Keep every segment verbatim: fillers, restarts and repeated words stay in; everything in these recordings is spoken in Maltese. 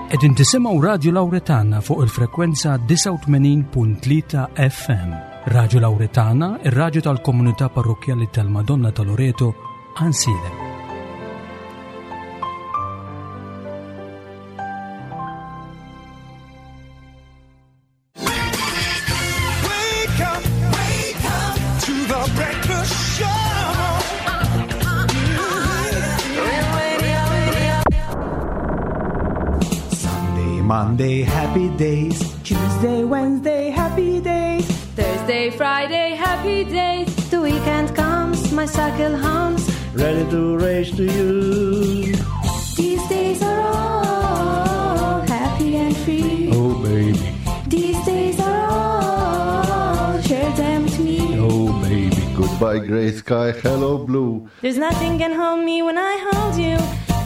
Qegħdin tisimgħu Radio Lauretana fuq il-frekwenza disgħa u tmenin punt tlieta F M. Radio Lauretana, ir-radju tal-komunità parrokkjali tal-Madonna ta' Loreto, Għajnsielem. Wake up, wake up to the breakfast show. Sunday, Monday, happy days. Tuesday, Wednesday, happy days. Thursday, Friday, happy days. The weekend comes, my cycle hums. Ready to race to you. These days are all happy and free. Oh baby, These days are all, share them with me. oh baby. Goodbye grey sky, hello blue. There's nothing can hold me when I hold you.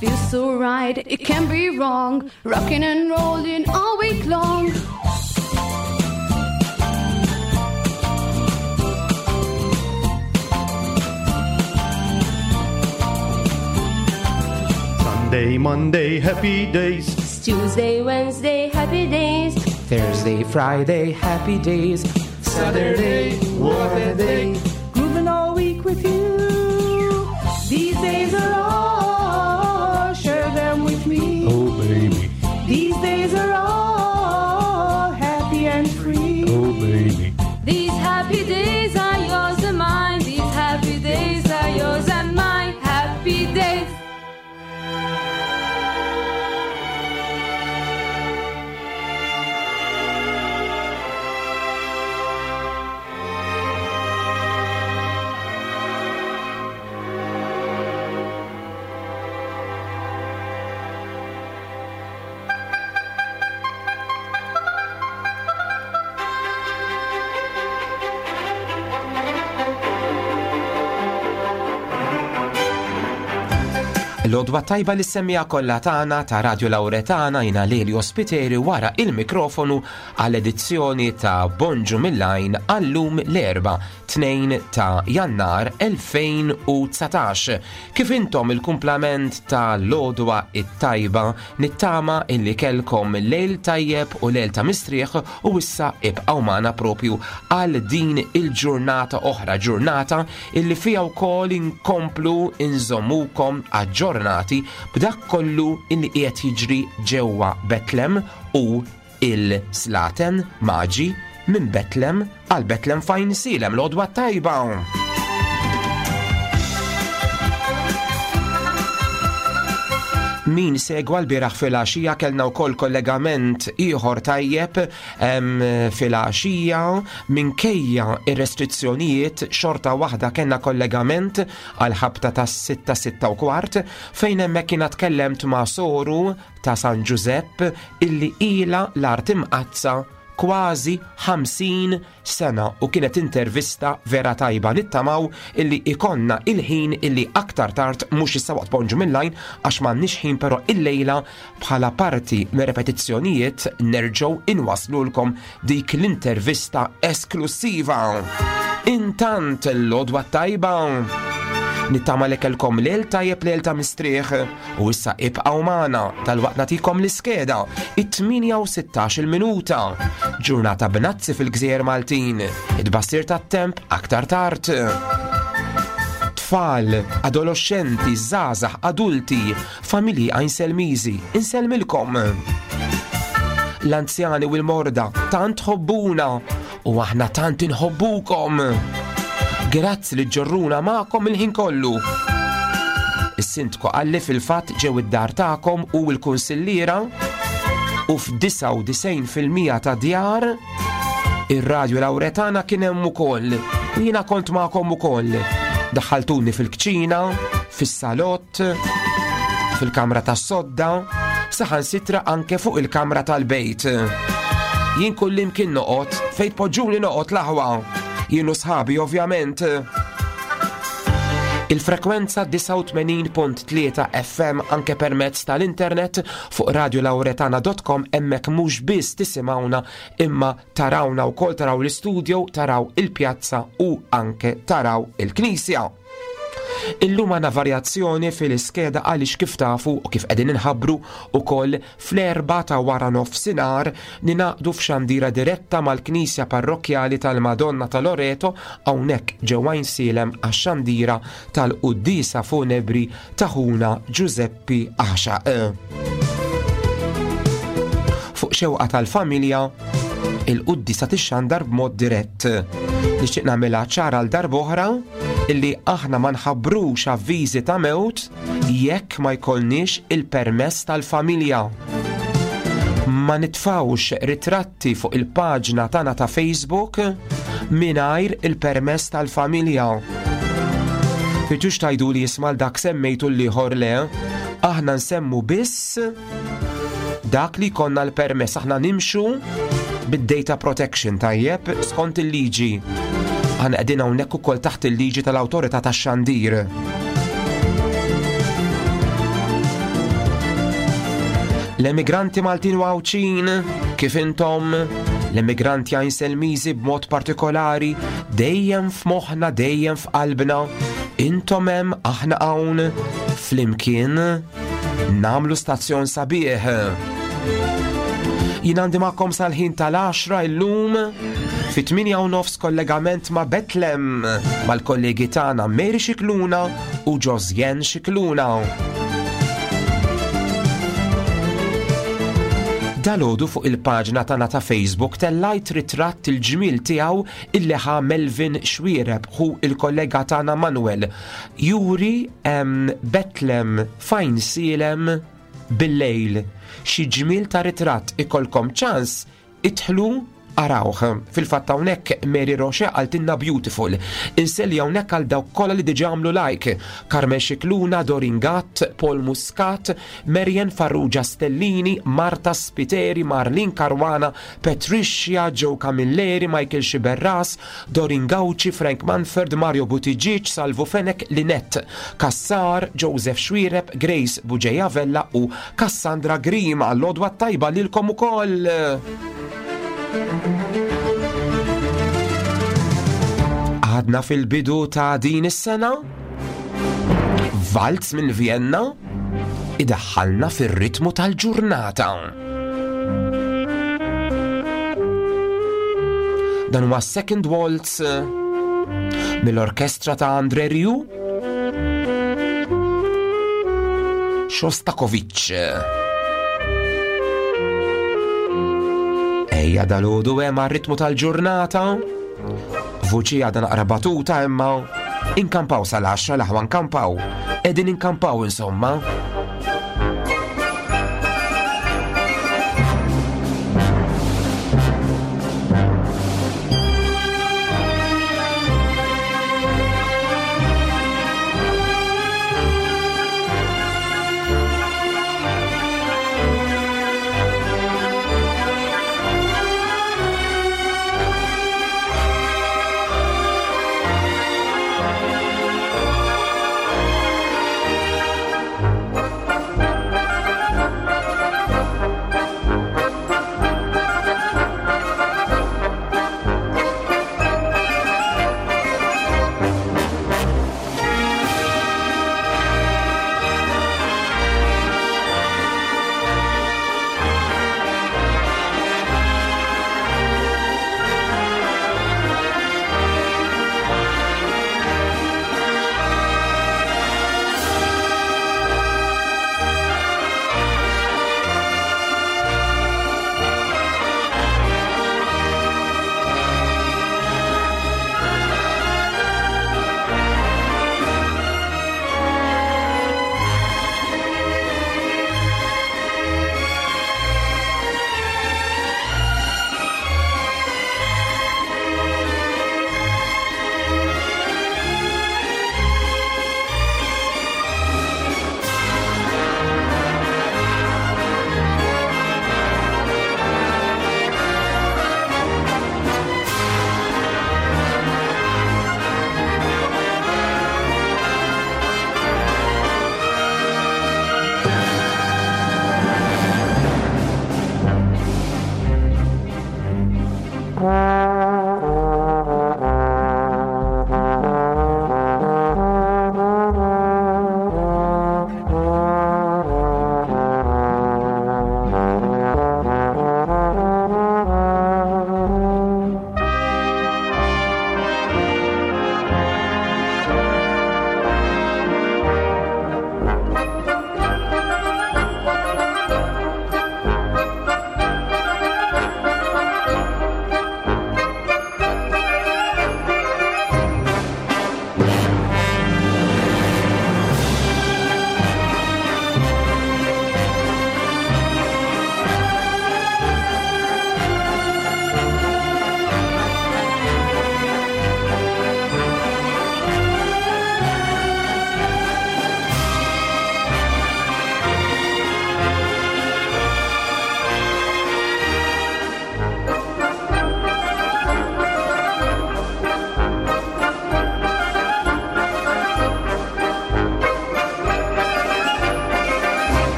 Feels so right, it can't be wrong. Rocking and rolling all week long. Sunday, Monday, happy days. Tuesday, Wednesday, happy days. Thursday, Friday, happy days. Saturday, what a day. Grooving all week with you. These days are all, share them with me. Oh baby, These days are all happy and free. oh baby. These happy days are yours and mine. These happy days are yours and mine. Happy days. L-għodwa tajba li semmija kollha tagħna ta' Radio Lauretana jina Lelio Spiteri wara il-mikrofonu għall-edizzjoni ta' Bonġu mill-Għajn għallum l-Erbgħa tnejn ta' Jannar elfejn u dsatax. Kif intom il-kumplament ta' l-għodwa it-tajba nittama illi kelkom lejl tajjeb u lejl ta' mistrieħ u issa ibqgħu magħna propju għal din il-ġurnata oħra, ġurnata illi fija wkoll inkomplu inżommukom aġġornati b'dak kollu illi qiegħed jiġri ġewwa Betlem u il-Slaten Maġi minn Betlem għal Betlem f'Għajnsielem. L-għodwa tajba. Min segwa l-bieraħ fil-għaxija kellna wkoll kollegament ieħor tajjeb, em, fil-għaxija minkejja ir-restrizzjonijiet xorta waħda kellna kollegament għal ħabta tas sitta, sitta u kwart fejn hemmhekk jiena tkellemt ma' soru ta' San Ġużepp illi ilha l-art imqaddsa kważi ħamsin sena u kienet intervista vera tajba. Nittamaw illi ikonna il-ħin illi aktar tard, mhux issa waqt Bonġu mill-Għajn għax m'għandniex ħin, però illejla bħala parti me repetizzjonijiet nerġgħu inwaslulkom dik l-intervista esklusiva. Intant l-għodwa tajba. Nittama li kellkom lejl tajjeb, lejl ta' mistrieħ u issa ibqgħu magħna tal-waqt nagħtikom l-iskeda it-tmienja u sittax il-minuta. Ġurnata b'nazzi fil-Gżejjer Maltin, it-tbassir tat-temp aktar tard. Tfal, adolescenti, żgħażagħ, adulti, familji Għajnselmiżi, insellmilkom. L-anzjani u l-morda tant ħobbuna u aħna tant inħobbukom. Grazzi li ġorruna magħkom il-ħin kollu. Is-sindku qalli fil-fatt ġew id-dar tagħkom u l-kunsilliera u f'disgħa u disgħin fil-mija ta' djar ir-Radio Lauretana kien hemm ukoll. U jiena kont magħkom ukoll. Daħħaltuni fil-kċina, fis-salott, fil-kamra tas-sodda, saħansitra anke fuq il-kamra tal-bejt. Jien kullimkien noqgħod, fejn tpoġġuni noqgħod l-aħwa. Jien u sħabi ovvjament. Il-frekwenza disgħa u tmenin punt tlieta F M anke permezz tal-internet fuq radio lauretana dot com, hemmhekk mhux biss tisimgħuna imma tarawna wkoll, taraw l-istudio, taraw il-pjazza u anke taraw il-knisja. Illum għandna varjazzjoni fil-iskeda għaliex kif tafu u kif qegħdin inħabbru ukoll fl-erba ta' wara nofsinhar ninaqdu f'xandira diretta mal-Knisja Parrokkjali tal-Madonna ta' Loreto hawnhekk ġewwa Għajnsielem għax-xandira tal-Quddiesa Funebri ta' ħuna Giuseppi Għaxaq. Fuq xewqa tal-familja, il-quddiesa tixxandar b'mod dirett. Nixtieq nagħmilha ċara għal darb'oħra illi aħna ma nħabbrux avviżi ta' mewt jekk ma jkollniex il-permess tal-familja. Ma nitfawx ritratti fuq il-paġna tagħna ta' Facebook mingħajr il-permess tal-familja. Fiġux tajdu li jismal dak semmejtu l-ieħor le, aħna nsemmu biss dak li konna l-permess, aħna nimxu bid-data protection tajjeb skont il-liġi. Aħna qegħdin hawnhekk ukoll taħt il-liġi tal-Awtorità tax-Xandir. L-emigranti Maltin u Għawdxin, kif intom, l-emigranti Għajnselmiżi b'mod partikolari, dejjem f'moħħna, dejjem f'qalbna, intom hemm, aħna hawn, flimkien namlu stazzjon sabiħ. Jien għandi magħkom sal-ħin tal-għaxra illum fi tmienja u nofs kollegament ma' Betlem mal-kollegi tagħna Mary Scicluna u Josjen Scicluna. Dalgħodu fuq il-paġna tagħna ta' Facebook tellajt ritratt il-ġmiel tiegħu illi ħa Melvin Xwiereb hu il-kollega tagħna Manuel. Juri em, Betlem fajn sielem bil-lejl. Xi ġmiel ta' ritratt ikolkom ċans idħlu arawh. Fil-fatt hawnhekk Mary Roche qaltilna beautiful. Inselli hawnhekk għal dawk kollha li diġà għamlu like. Carmen Scicluna, Dorin Gatt, Paul Muscat, Marian Farrugia Stellini, Marta Spiteri, Marlin Caruana, Patricia, Joe Camilleri, Michael Sciberras, Dorin Gauci, Frank Manford, Mario Buttigieg, Salvo Fenech, Linette Kassar, Joseph Xuereb, Grace Bugeja Vella u Cassandra Grima. L-odwa tajba lilkom ukoll. Għadna fil-bidu ta' din is-sena, Valz minn Vienna idaħħalna fir-ritmu tal-ġurnata. Dan huwa Second Waltz mill-orkestra ta' André Rieu, Shostakovich. Ejja dal-għodu hemm għar-ritmu tal-ġurnata. Vuċi għadha naqra batuta imma inkampaw sal-għaxra l-aħwa nkampaw. Qegħdin inkampaw insomma.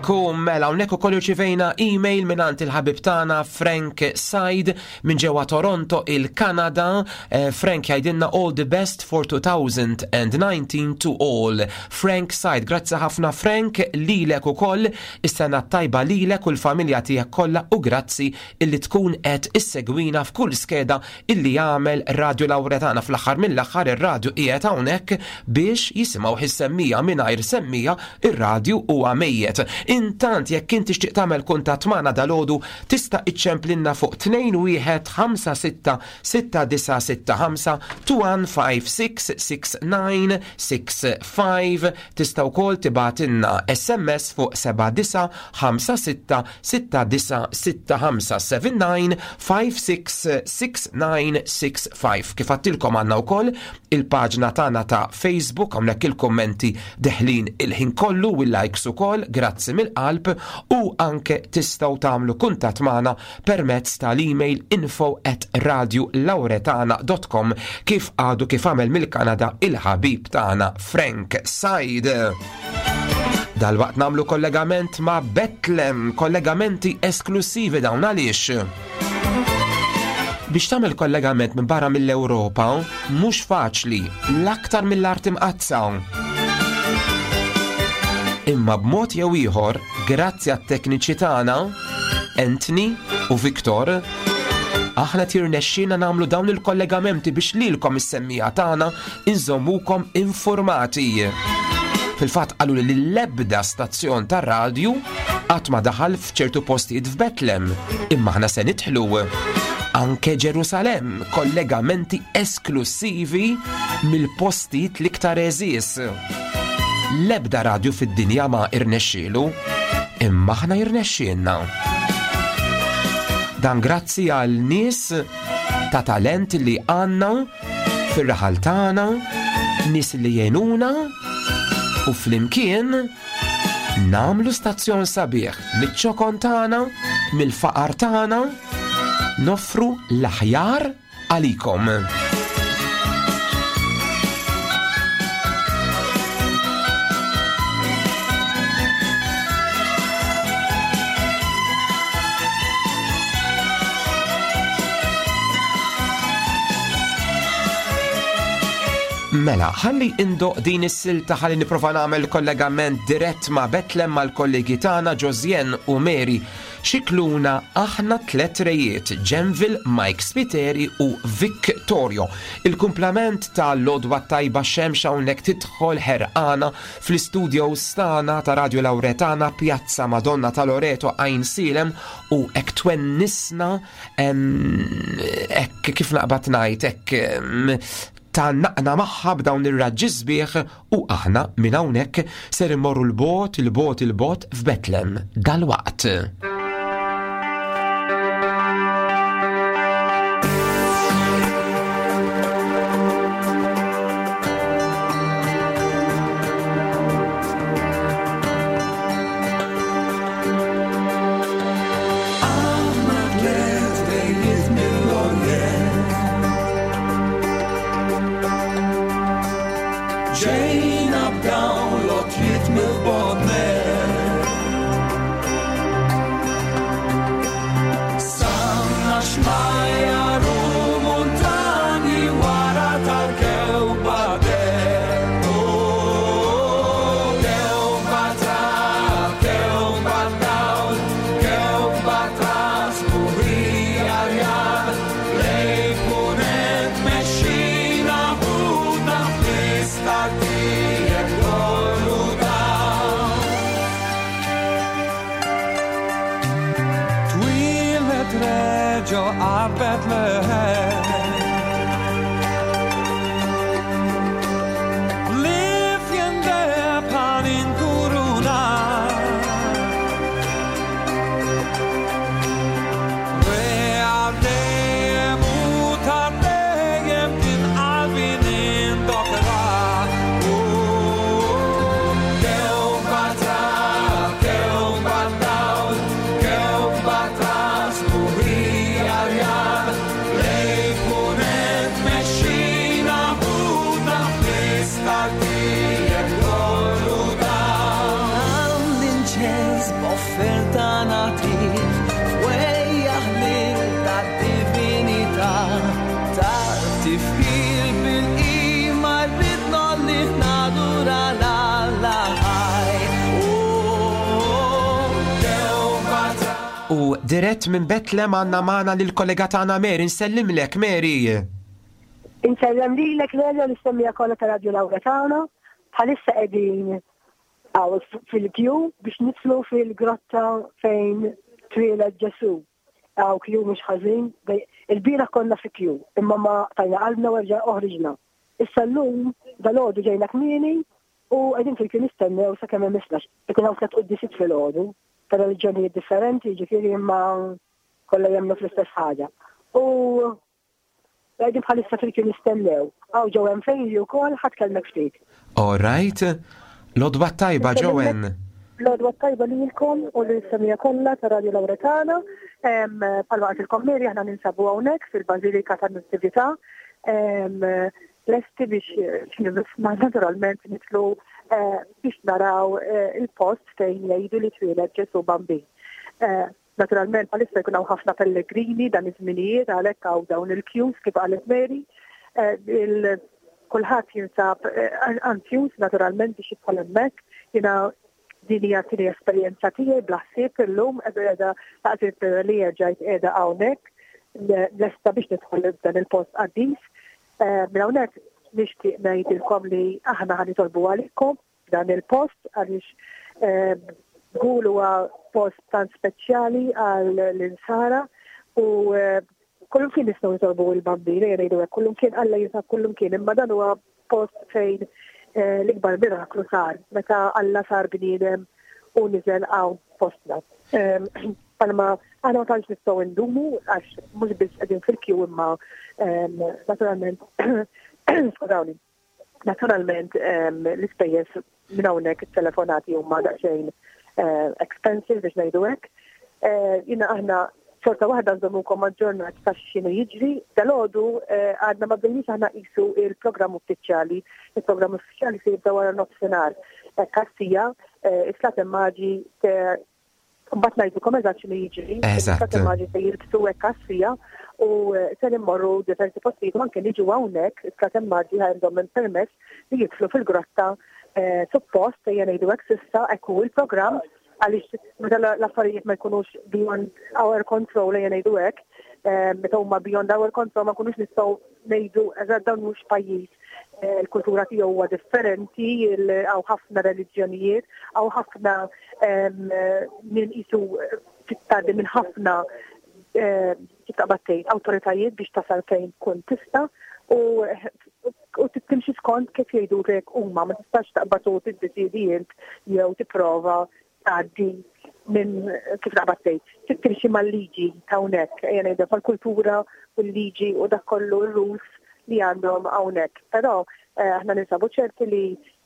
Ekku, mela, hawnhekk ukoll irċivejna email mingħand il-ħabib tagħna Frank Said minn ġewwa Toronto, il-Kanada. Eh, Frank jgħidilna all the best for twenty nineteen to all. Frank Said, grazzi ħafna Frank, lilek ukoll, is-sena tajba lilek u l-familja tiegħek kollha u grazzi illi tkun qed issegwina f'kull skeda illi jagħmel Radio Lauretana. Fl-aħħar mill-aħħar ir-radju qiegħed hawnhekk biex jisimgħu is-semmiegħa. Mingħajr semmiegħa ir-radju huwa mejjet. Intant jekk inti tixtieq tagħmel kuntatt magħna dalgħodu tista' iċċemplinna fuq tnejn wieħed ħamsa sitta sitta disa' sitta ħamsa, tnejn wieħed ħamsa sitta sitta disa' sitta ħamsa. Tista' wkoll tibgħatilna S M S fuq seba' disa' ħamsa sitta sitta disa' sitta ħamsa, seven nine five six six nine six five. Kif għedtilkom, għandna wkoll il-paġna tagħna ta' Facebook, hawnhekk il-kommenti deħlin il-ħin kollu u l-likes ukoll, grazzi mill-qalb, u anke tistgħu tagħmlu kuntatt magħna permezz tal-email info at radiolauretana dot com kif għadu kif għamel mill-Kanada il-ħabib tagħna Frank Said. Dalwaqt nagħmlu kollegament ma' Bethlehem, kollegamenti esklusivi dawn, għaliex biex tagħmel kollegament minn barra mill-Ewropa mhux faċli, l-aktar mill-Art Imqaddsa. Imma b'mod jew ieħor, grazzi għat-tekniċi tagħna, Anthony u Victor, aħna tirnexxina nagħmlu dawn il-kollegamenti biex lilkom is-semmiegħa tagħna inżommukom informati. Fil-fatt qalu li l-ebda stazzjon tar-radju qatt ma daħal f'ċertu postijiet f'Betlem, imma aħna se nidħlu anke Ġerusalem, kollegamenti esklusivi mill-postijiet l-iktar għeżież. L-ebda radju fid-dinja ma irnexxielu, imma aħna jirnexxielna. Dan grazzi għal nies ta' talent li għandna fir-raħal tagħna, nies li jgħinuna u flimkien nagħmlu stazzjon sabiħ miċ-ċokon tagħna, mill-faqar tagħna, noffru l-aħjar għalikom. Mela, ħalli indoqq din is-silta ħalli nipprova nagħmel kollegament dirett ma' Betlem mal-kollegi tagħna Josien u Mary Xikluna, aħna tlet rejiet, Ġenvil, Mike Spiteri u Victorio. Il-kumplament ta' l-għodwa tajba, xemx hawnhekk tidħol ħerqana fl-istudio tagħna ta' Radio Lauretana, Pjazza Madonna ta' Loreto, Għajnsielem, u hekk twennisna, hekk kif naqbad ngħid, hekk tgħannaqna magħha b'dawn ir-raġġi sbieħ u aħna minn hawnhekk ser immorru l-bogħod, il-bogħod, il-bogħod f'Betlem dalwaqt. Aħna tliet rejiet mill-Orjent, ġejna b'dawn l-għotjiet mill-bogħod. Qsamna xmajjar u muntanji wara tal-kewkba deheb. Oh, kewkba ta' kewkba dawl, kewkba ta' sbuħija rjal, lejn punent mexxina ħudna fl-istar tiegħek kollu dawl. Twieled re ġo għar Bethlehem, l-ifjen deheb ħa ninkuruna. Re għal dejjem u ta' dejjem kien qalbi nindokra. Kewkba ta' kewkba dawl, kewkba ta' sbuħija rjal, lejn U dirett minn Betlem għandna magħna lill-kollega tagħna Mary, nsellimlek Mary. Insellem lilek Lelio l-istemmija kollha ta' Radio Lauretana. Bħalissa qegħdin hawn fil-kju biex nidħlu fil-grotta fejn twieled Ġesu. Hawn kju mhux ħażin, il-bieraħ konna fi kju, imma ma tajna qalbna u erġa' oħriġna. Issa llum dalgħodu ġejna kmieni u qegħdin fil-kju nistennew sakemm hemm Ikun hawn tliet quddiesiet filgħodu ta' reliġjonijiet differenti, ġifieri imma kollha jemmnu fl-istess ħaġa. U qegħdin bħalissa fil-kju nistennew. Hawn Joanne Fejli wkoll ħa tkellmek ftit. All right. L-għodwa t-tajba, Joanne. L-għodwa t-tajba lilkom u l-semmiegħa kollha ta' Radio Lauretana. Bħalma qaltilkom Mary aħna ninsabu hawnhekk fil-Bażilika tan-Natività. Lesti biex naturalment nidħlu biex naraw il-post fejn jgħidu li twieled Ġesu Bambin. Naturalment bħalissa jkun hawn ħafna pellegrini dan iż-żminijiet għalhekk hawn dawn il-queues kif qalet Mary. Kulħadd jinsab anzjuż naturalment biex jidħol hemmhekk. Jiena din hija tieni esperjenza tiegħi bla ħsieb illum qiegħda taqsir li ġajt qiegħda hawnhekk lesta biex nidħol f'dan il-post qaddis. Minn hawnhekk nixtieq ngħidilkom li aħna ħa nitolbu għalikom dan il-post għaliex żgur huwa post tant speċjali għal l-insara u kullum kien nistgħu nitolbu il-Bambin, jgħidu hekk, kullum kien Alla jinsab kullum kien, imma dan huwa post fejn l-ikbar miraklu sar, meta Alla sar bniedem u niżel hawn postna. Palma aħna ma tantx nistgħu ndumu għax mhux biss qegħdin fil-kju imma naturalment skużawni, naturalment l-ispejjeż minn hawnhekk it-telefonati huma daqsxejn expensive biex ngħidu hekk. Jiena aħna xorta waħda nżommukom aġġornat ta' x'inhu jiġri. Dalgħodu għadna ma bdejniex aħna qisu il-programm uffiċjali. Il-programm uffiċjali se jibda wara nofsinhar. Kassija, is-Slaten Maġi mbagħad ngħidulkom eżatt x'inhu jiġri. Is-Slaten Maġi se jilbsu hekk kassija u se immorru diversi postijiet u anke niġu hawnhekk is-Slaten Maġi għandhom permess li jidħlu fil-grotta suppost ejja ngħidu hekk s'issa hekk hu il-programm għaliex meta l-affarijiet ma jkunux beyond our control ejja ngħidu hekk, meta huma beyond our control ma nkunux nistgħu ngħidu eżatt dawn mhux pajjiż. Il-kultura tiegħu huwa differenti, hawn ħafna reliġjonijiet, hawn ħafna min qisu tgħaddi minn ħafna kif taqbad tgħid awtoritajiet biex tasal fejn tkun tista' u u timxi skont kif jgħidulek huma, ma tistax taqbad u tiddeċiedi int jew tipprova tgħaddi minn kif taqbad tgħid, timxi mal-liġi ta' hawnhekk, ejja ngħidu mal-kultura u l-liġi u dak kollu r-rules li għandhom hawnhekk. Però aħna ninsabu ċerti li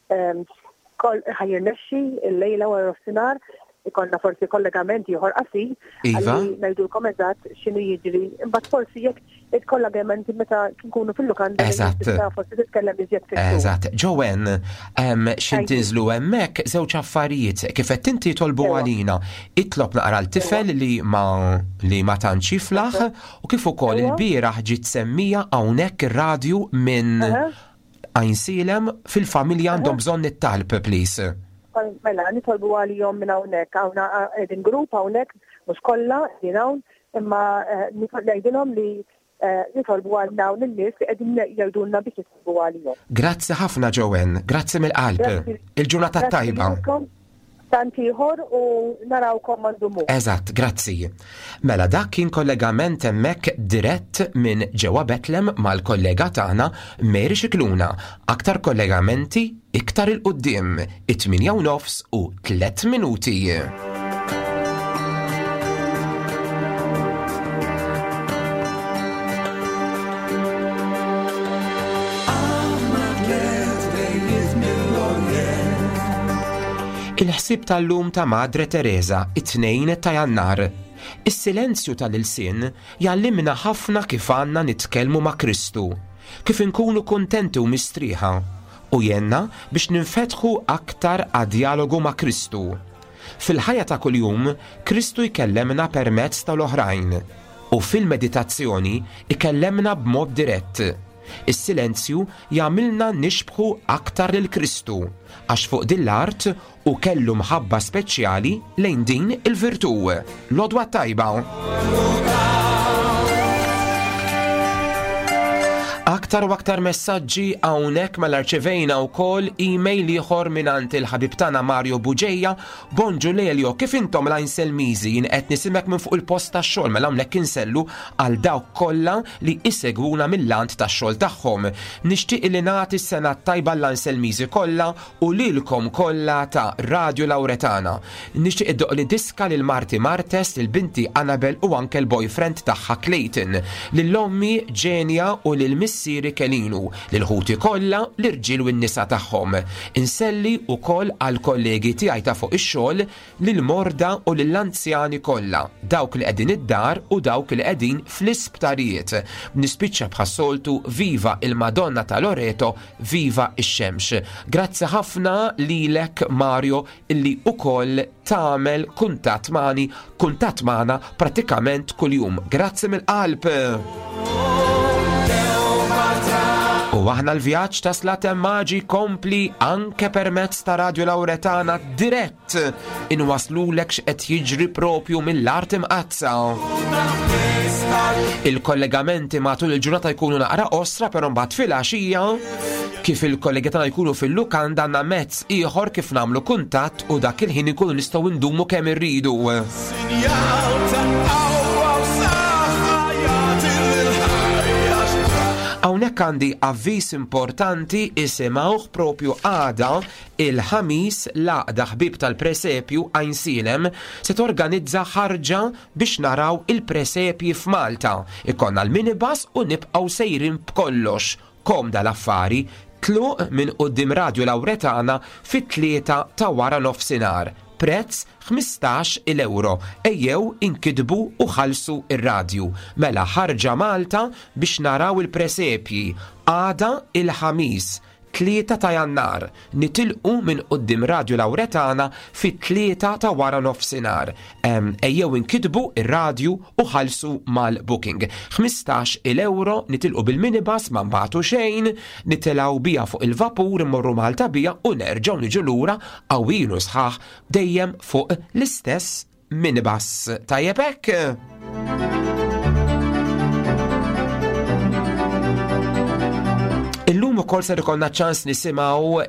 ħa jirnexxi l-lejla wara nofsinhar ikollna forsi kollegament ieħor qasir għalli ngħidulkom eżatt x'inhu jiġri. Imbagħad forsi jekk il-kollegamenti meta nkunu fil-lukanda forsi titkellem iżjed fit. Eżatt. Joanne, x'in tinżlu hemmhekk żewġ affarijiet kif qed inti tolbu għalina. Itlob naqra l-tifel li ma li ma tantx jiflaħ u kif ukoll il-bieraħ ġiet semmija hawnhekk ir-radju minn Għajnsielem fil-familja għandhom bżonn it-talb, please. Mela, nitolbu għalihom minn hawnhekk, hawn qegħdin grupp hawnhekk, mhux kollha qegħdin hawn, imma ngħidilhom li nitolbu għal dawn in-nies li qegħdin jgħidulna biex nitolbu għalihom. Grazzi ħafna Joanne, grazzi mill-qalb. Il-ġurnata tajba. Tant ieħor u narawkom ma ndumu. Eżatt, grazzi. Mela dak kien kollegament hemmhekk dirett minn ġewwa Betlem mal-kollega tagħna Mary Scicluna. Aktar kollegamenti iktar il-quddiem, it-tminja u nofs u tliet minuti. Il-ħsieb tal-lum ta' Madre Teresa, it-tnejn ta' Jannar. Is-silenzju tal-ilsien jgħallimna ħafna kif għandna nitkellmu ma' Kristu, kif inkunu kuntenti u mistrieħa, u jenna biex ninfetħu aktar għad-dialogu ma' Kristu. Fil-ħajja ta' kuljum, Kristu jkellemna permezz tal-oħrajn, u fil-meditazzjoni ikellemna b'mod dirett. Is-silenzju jagħmilna nixbħu aktar lil Kristu, għax fuq din l-art u kellu mħabba speċjali lejn din il-virtù. L-għodwa tajba. Aktar u aktar messaġġi hawnhekk mela rċevejna wkoll email ieħor mingħand il-ħabib tagħna Mario Buġeja. Bonġu Lelio, kif intom l-Għajnselmiżi? Jien qed nisimek minn fuq il-post tax-xogħol, mela hawnhekk insellu għal dawk kollha li isegwuna mill-lant tax-xogħol tagħhom. Nixtieq li nagħti s-sena tajba l-Għajnselmiżi kollha u lilkom kollha ta' Radio Lauretana. Nixtieq iddoq li diska lil Marti Martes, lil binti Annabel u anke l-boyfriend tagħha Clayton, lil ommi Ġenja u lil missieri Kelinu, lil ħuti kollha, l-irġiel u n-nisa tagħhom. Inselli wkoll għal kollegi tiegħi ta' fuq ix-xogħol, lil morda u lill-anzjani kollha, dawk li qegħdin id-dar u dawk li qegħdin fl-isptarijiet. Nispiċċa bħas-soltu viva il-Madonna ta' Loreto, viva ix-xemx. Grazzi ħafna lilek Mario illi ukoll tagħmel kuntatt magħni, kuntatt magħna prattikament kuljum. Grazzi mill-qalb. U aħna l-vjaġġ ta' Slaten Maġi kompli anke permezz ta' Radio Lauretana dirett inwaslulek x'qed jiġri propju mill-art imqazza. Il-kollegamenti matul il-ġurnata jkunu naqra osra, però mbagħad fil-għaxija kif il-kollegi tagħna jkunu fil-lukanda għandna mezz ieħor kif nagħmlu kuntatt u dak il-ħin ikunu nistgħu ndumu kemm irridu. Hawnhekk għandi avviż importanti, isimgħuh propju għada il-ħamis l-Għaqda Ħbieb tal-Presepju Għajnsielem se torganizza ħarġa biex naraw il-presepji f'Malta. Ikonna l-minibus u nibqgħu sejrin b'kollox. Komda l-affari, tluq minn quddiem Radio Lauretana fit-tlieta ta' wara nofsinhar. Prezz ħmistax il euro. Ejjew inkidbu u ħallsu ir-radju. Mela ħarġa Malta biex naraw il-presepji. Għada il-ħamis, tlieta ta' Jannar, nitilqu minn quddiem Radio Lauretana fit-tlieta ta' wara nofsinhar. Ejjew inkidbu ir-radju u ħallsu mal-booking. ħmistax il euro nitilqu bil-minibus ma nbagħtu xejn, nitilgħu bija fuq il-vapur immorru Malta bija u nerġgħu niġu lura qawwin u sħaħ dejjem fuq l-istess minibus. Tajjeb hekk? Illum ukoll ser ikollna ċans nisimgħu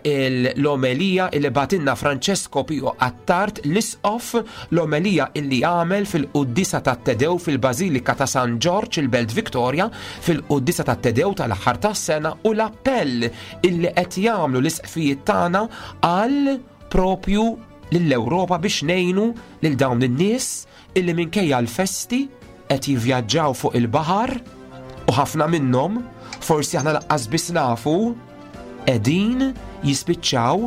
l-omelija illi batinna Francesco Pio Attard l-Isqof, l-omelija illi għamel fil-Quddisa tat-Tedew fil-Bażilika ta' San Ġorġ il-Belt Victoria fil-Quddisa tat-Tedew tal-aħħar tas-sena u l-appell illi qed jagħmlu l-isqfijiet tagħna għal propju lill-Ewropa biex ngħinu lil dawn in-nies illi minkejja l-festi qed jivvjaġġaw fuq il-baħar u ħafna minnhom forsi aħna laqqas biss nafu qegħdin jispiċċaw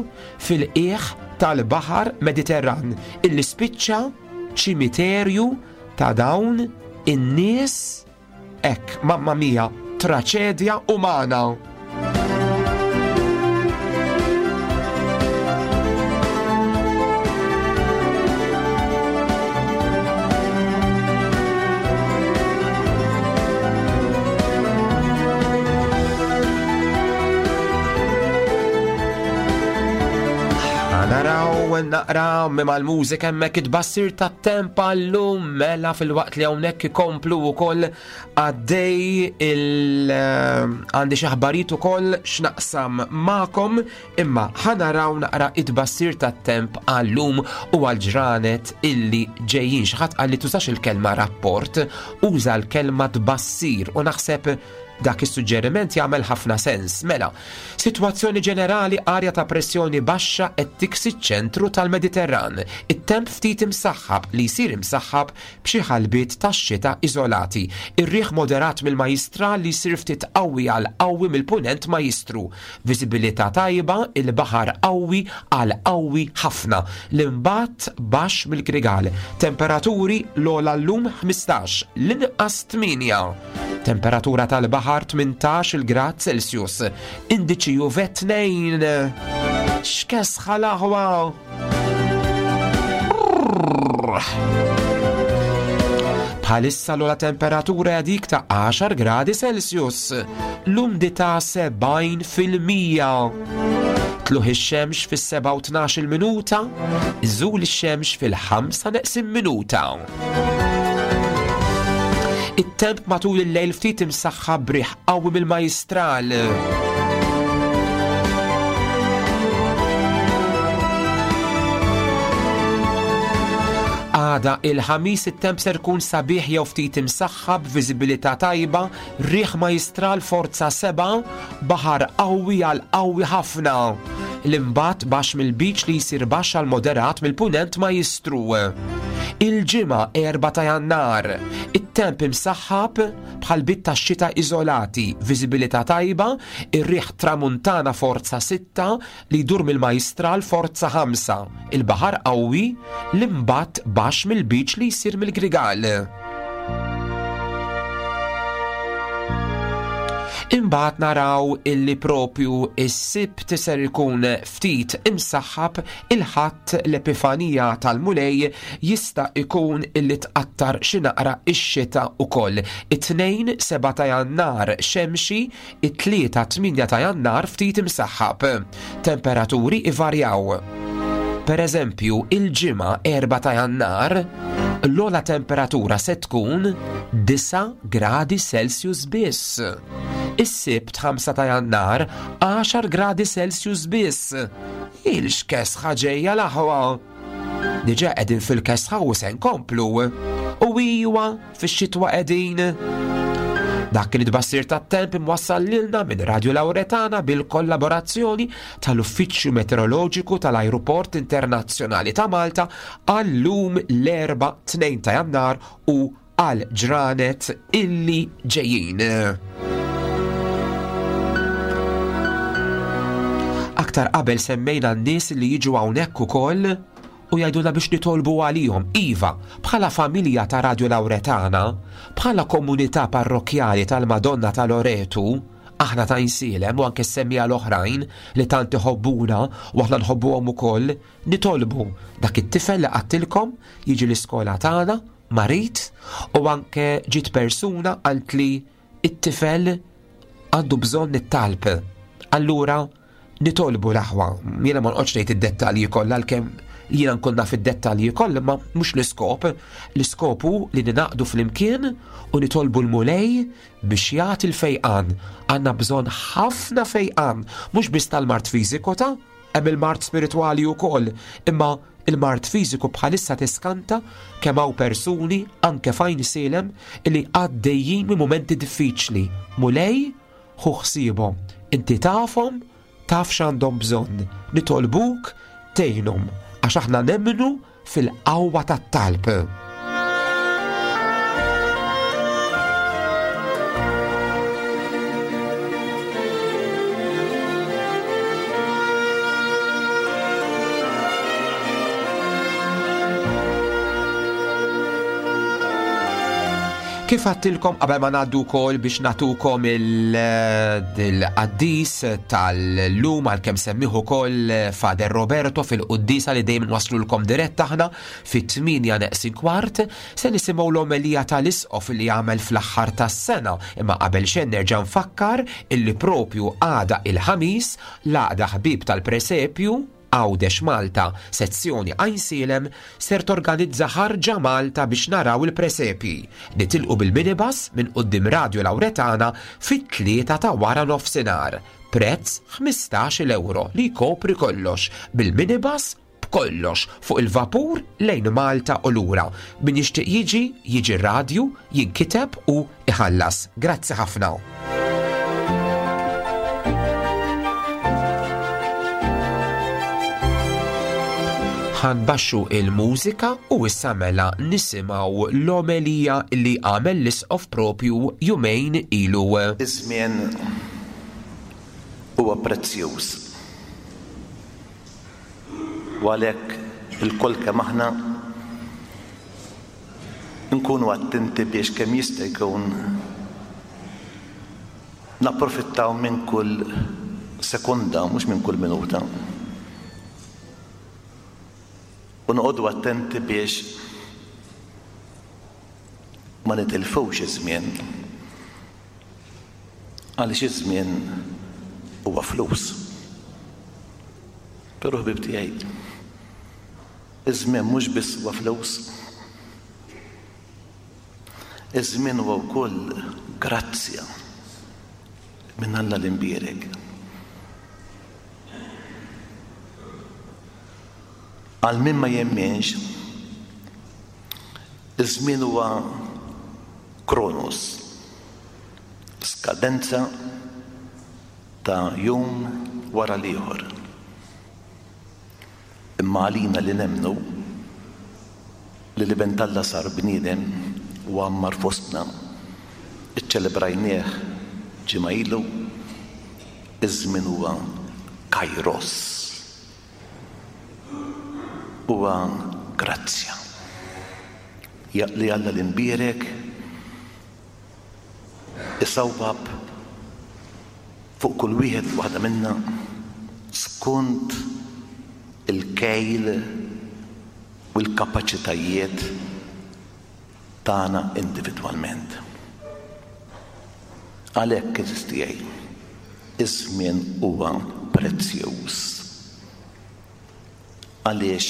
fil-qiegħ tal-baħar Mediterran illi spiċċa ċimiterju ta' dawn in-nies hekk, mamma mia, traċedja umana. Naraw naqra mal-mużika hemmhekk it-tbassir tat-temp għallum mela fil-waqt li hawnhekk ikomplu wkoll għaddej il għandi xi aħbarijiet ukoll x'naqsam magħkom, imma ħanaraw naqra it-tbassir tat-temp għallum u għall-ġranet illi ġejjin. Xi ħadd qal li tużax il-kelma rapport, uża l-kelma tbassir u naħseb dak is-suġġeriment jagħmel ħafna sens. Mela, sitwazzjoni ġenerali, arja ta' pressjoni baxxa qed tiksi ċ-ċentru tal-Mediterran. It-temp ftit imsaħħab li jsir imsaħħab b'xi ħalbiet tax-xita iżolati. Ir-riħ moderat mill-Majjistral li jsir ftit qawwi għal qawwi mill-Punent Majjistru. Viżibilità tajba, il-baħar qawwi għal qawwi ħafna. L-imbatt baxx mill-Grigal. Temperaturi l-ogħla llum ħmistax, l-inqas tmienja. Temperatura tal-baħar tmintax il-grad Celsius. Indiċi U V tnejn. X'kesħa l-aħwa! Bħalissa l-ogħla temperatura hija dik ta' għaxar gradi Celsius, l-umdità sebgħin fil-mija. Tluħ ix-xemx fis-sebgħa u tnax-il minuta, iżul ix-xemx fil-ħamsa neqsin minuta. It-temp matul il-lejl ftit imsaħħa b'riħ qawwi mill-majstral. Għada il-ħamis it-temp ser kun sabiħ jew ftit imsaħħa b'viżibilità tajba, riħ majstral forza seba', baħar qawwi għal qawwi ħafna. L-imbat baxx mill-biċ li jsir baxx għal moderat mill-punent majstru. Il-ġimgħa erba' ta' Jannar, it-temp imsaħħab bħal bit tax-xita iżolati, viżibilità tajba, ir-riħ tramuntana forza sitta li jdur mill-majstral forza ħamsa, il-baħar qawwi, l-imbat baxx mill-biċ li jsir mill-Grigal. Imbagħad naraw illi propju is-Sibt ser ikun ftit imsaħħab, il-Ħadd l-Epifanija tal-Mulej jista' ikun illi tqattar xi naqra x-xita wkoll. It-Tnejn seba' ta' Jannar xemxi, it-Tlieta tminja ta' Jannar ftit imsaħħab. Temperaturi ivarjaw. Per eżempju, il-Ġimgħa erba' ta' Jannar, l-ogħla temperatura se tkun disa' gradi Celsius biss. Is-Sibt ħamsa ta' Jannar, għaxar gradi Celsius biss. Il-xkesħa ġejja l-aħwa. Diġà qegħdin fil-kesħa u se nkomplu. U iwa fix-xitwa qegħdin. Dak kien it-tbassir tat-temp imwassal lilna minn Radio Lauretana bil-kollaborazzjoni tal-Uffiċċju Meteoroloġiku tal-Ajruport Internazzjonali ta' Malta għal-lum l-Erbgħa tnejn ta' Jannar u għal ġranet illi ġejjin. Aktar qabel semmejna n-nies li jiġu hawnhekk ukoll u jgħidulna biex nitolbu għalihom. Iva, bħala familja ta' Radio Lauretana, bħala komunità parrokjali tal-Madonna ta' Loretu, aħna ta' Għajnsielem u anke semmija l-oħrajn li tant iħobbuna u aħna nħobbuhom ukoll, nitolbu dak it-tifel li qattilkom jiġi l-iskola tagħna marid, u anke ġiet persuna qalt li it-tifel għandu bżonn it-talb. Allura nitolbu l-aħwa. Jiena ma noqgħodx ngħid id-dettalji kollha għalkemm jiena nkun naf id-dettalji kollha, ma mhux l-iskop. L-iskop hu li ninaqdu flimkien u nitolbu l-Mulej biex jagħti l-fejqan. Għandna bżonn ħafna fejqan, mhux biss tal-mard fiżiku ta' hemm il-mard spiritwali wkoll, imma il-mard fiżiku bħalissa tiskanta kemm hawn persuni anke f'Għajnsielem li għaddejjin minn mumenti diffiċli. Mulej, ħu ħsiebhom, inti tafhom, taf x'għandhom bżonn. Nitolbuk tgħinhom għax aħna nemmnu fil-qawwa tat-talb. Kif għattilkom qabel ma ngħaddu wkoll biex nagħtukom il-qaddis tal-lum għalkemm semmiħ ukoll Fader Roberto fil-quddisa li dejjem nwaslulkom dirett aħna fit-tmienja neqsin kwart, se nisimgħu l-omelija tal-isqof li jagħmel fl-aħħar tas-sena, imma qabel xejn nerġa' nfakkar illi propju għada il-ħamis l-għaqda ħbieb tal-presepju Għawdex Malta, sezzjoni Għajnsielem, ser torganizza ħarġa Malta biex naraw il-presepi. Nitilqu bil-minibus minn quddiem Radio Lauretana fit-tlieta ta' wara nofsinhar. Prezz ħmistax-il euro li jkopri kollox bil-minibus b'kollox fuq il-vapur lejn Malta u lura. Min jixtieq jiġi, jiġi r-radju, jinkiteb u iħallas. Grazzi ħafna. Ħanbaxxu il-mużika u issa mela nisimgħu l-omelija li għamel l-isqof propju jumejn ilu. Iż-żmien huwa prezzjuż. U għalhekk ilkoll kemm aħna nkunu attenti biex kemm jista' jkun napprofittaw minn kull sekonda, mhux minn kull minuta. U noqogħdu attenti biex ma ma nitilfux iż-żmien. Għaliex iż-żmien huwa flus. Però ħbib tiegħi, iż-żmien mhux biss huwa flus. Iż-żmien huwa wkoll grazzja minn Alla l-imbierek. Għal min ma jemminx, iż-żmien huwa kronos, skadenza ta' jum wara l-ieħor. Imma għalina li nemmnu li l-Iben t'Alla sar bniedem u għammar fostna, iċċelebrajnieh ġimgħa ilu, iż-żmien huwa kairos, huwa grazzja li Alla l-imbierek isawwab fuq kull wieħed waħda minna skont il-kejl u l-kapaċitajiet tagħna individwalment. Għalhekk għeżież tiegħi, iż-żmien huwa prezzjuż. Għaliex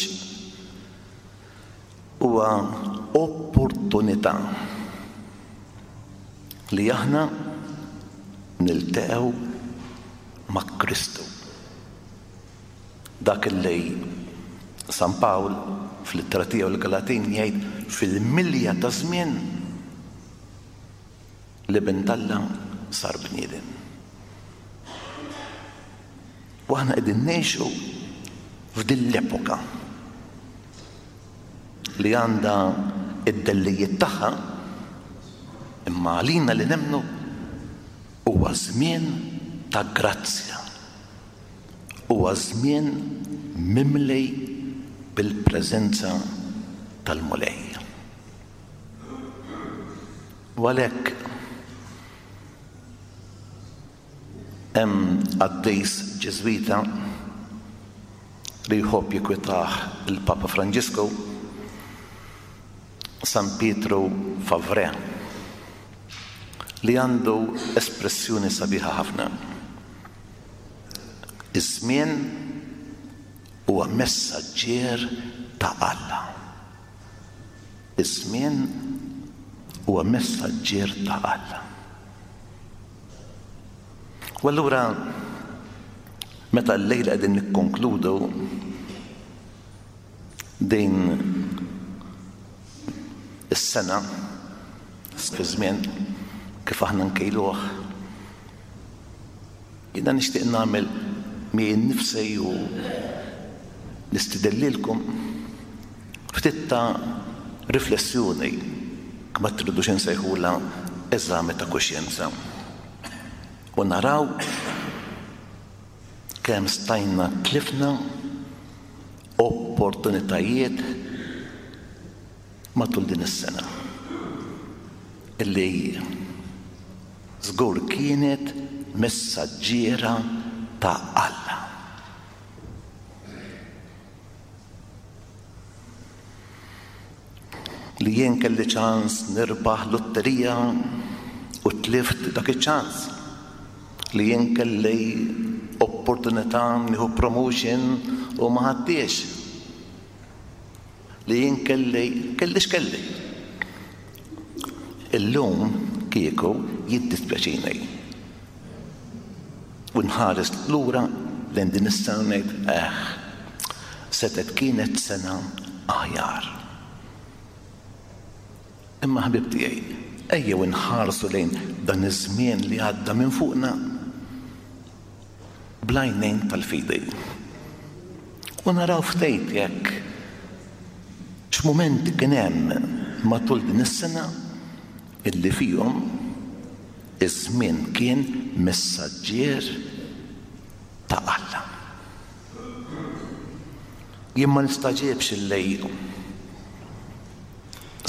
huwa opportunità li aħna niltaqgħu ma' Kristu. Dak li San Pawl fl-ittra tiegħu l-Galatin jgħid fil-milja ta' żmien l-Iben t'Alla sar bniedem. U aħna qegħdin ngħixu f'din l-epoka li għandha id-dellijiet tagħha, imma għalina li nemmnu huwa żmien ta' grazzja, huwa żmien mimli bil-preżenza tal-Mulej. U għalhekk hemm qaddis Ġiżwita li jħobb jikwitah il-Papa Franġisku, San Pietro Favre, li għandu espressjoni sabiħa ħafna. Iż-żmien huwa messaġġier ta' Alla. Iż-żmien huwa messaġġier ta' Alla. U allura meta llejla qegħdin nikkonkludu din is-sena fi żmien kif aħna nkejluh, jiena nixtieq nagħmel miegħi nnifsi u nistidellilkom ftit ta' riflessjoni, ma tridux insejħulha eżami ta' kuxjenza, u naraw kemm stajna tlifna opportunitajiet matul din is-sena illi żgur kienet messaġġiera ta' Alla. Li jien kelli ċans nirbaħ lotterija u tlift dak iċ-ċans. Li jien kelli opportunità nieħu promotion u ma ħadtiex. Li jien kelli, kelli x'kelli. Illum kieku jiddispjaċini. U nħares lura lejn din is-sena ngħid, eh, setgħet kienet sena aħjar. Imma ħbib tiegħi, ejjew inħarsu lejn dan iż-żmien li għadda minn fuqna bl-għajnejn tal-fidi. U naraw ftit jekk x'mumenti kien hemm matul din is-sena illi fihom iż-żmien kien messaġġier ta' Alla. Jien ma nistaġibx illi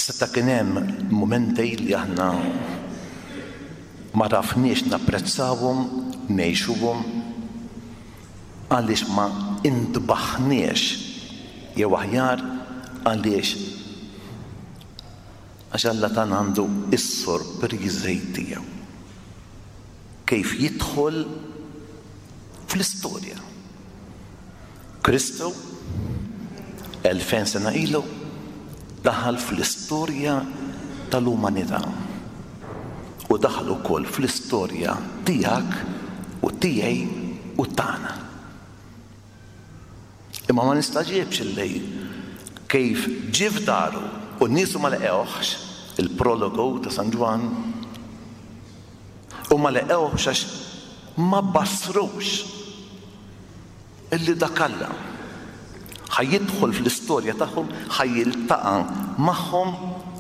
seta' kien hemm mumenti li aħna ma rafniex napprezzawhom, ngħixuhom, għaliex ma intbaħniex, jew aħjar għaliex Għax Alla tagħna għandu is-sorpriżi tiegħu. Kif jidħol fl-istorja. Kristu elfejn sena ilu daħal fl-istorja tal-umanità. U daħal ukoll fl-istorja tiegħek u tiegħi u tagħna. Imma ma nistagħġibx illi kif ġie f'daru u n-niesu ma laqgħuhx, il-prologu ta' San Ġwann, u ma laqgħuhx għax ma basrux illi dak Alla ħa jidħol fl-istorja tagħhom, ħa jiltaqa' magħhom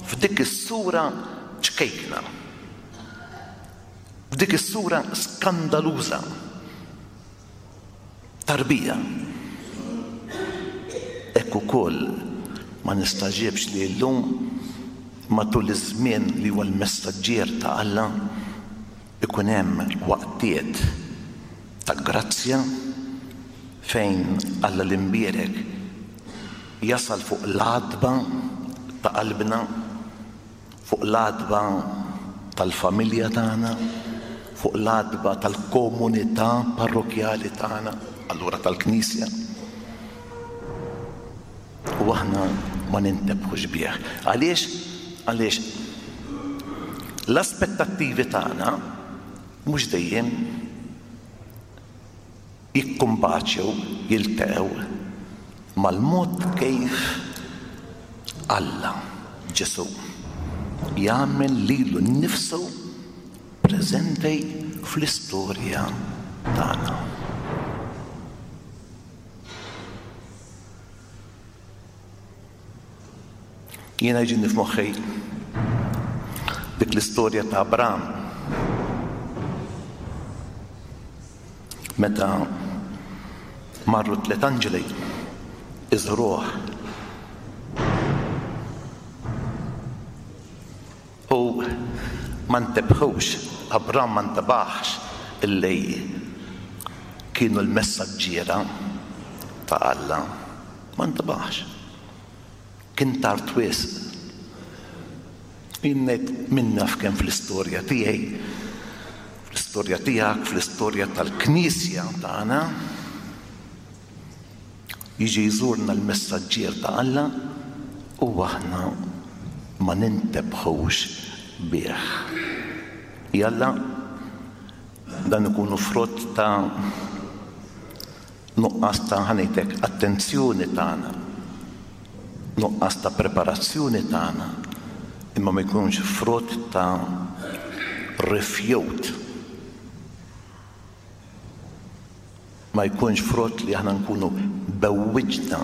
f'dik is-sura ċkejkna, f'dik is-sura skandaluża, tarbija. Hekk ukoll ma nistagħġibx li llum matul iż-żmien li huwa l-messaġġier ta' Alla ikun hemm waqtiet ta' grazzja fejn Alla l-imbierek jasal fuq l-għatba ta' qalbna, fuq l-għatba tal-familja tagħna, fuq l-għatba tal-komunità parrokjali tagħna, allura tal-Knisja. U aħna ma nintebħux bih. Għaliex? Għaliex l-aspettattivi tagħna mhux dejjem jikkumbaċew, jiltaqgħu mal-mod kif Alla, Ġesù, jagħmel lilu nnifsu preżenti fl-istorja tagħna. Jiena jiġini f'moħħi dik l-istorja ta' Abram meta marru tliet anġeli iżruh u ma ntebħux, Abram ma ntebaħx illi kienu l-messaġġiera ta' Alla, ma ntebaħx. Kien tard wisq. Jien ngħid min naf kemm fl-istorja tiegħi, fl-istorja tiegħek, fl-istorja tal-Knisja tagħna, jiġi jżurna l-messaġġier ta' Alla u aħna ma nintebħux bih. Jalla dan ikunu frott ta' nuqqas ta' ħanejtek attenzjoni tagħna, nuqqas ta' preparazzjoni tagħna, imma ma jkunx frott ta' rifjut, ma jkunx frott li aħna nkunu bewwiġna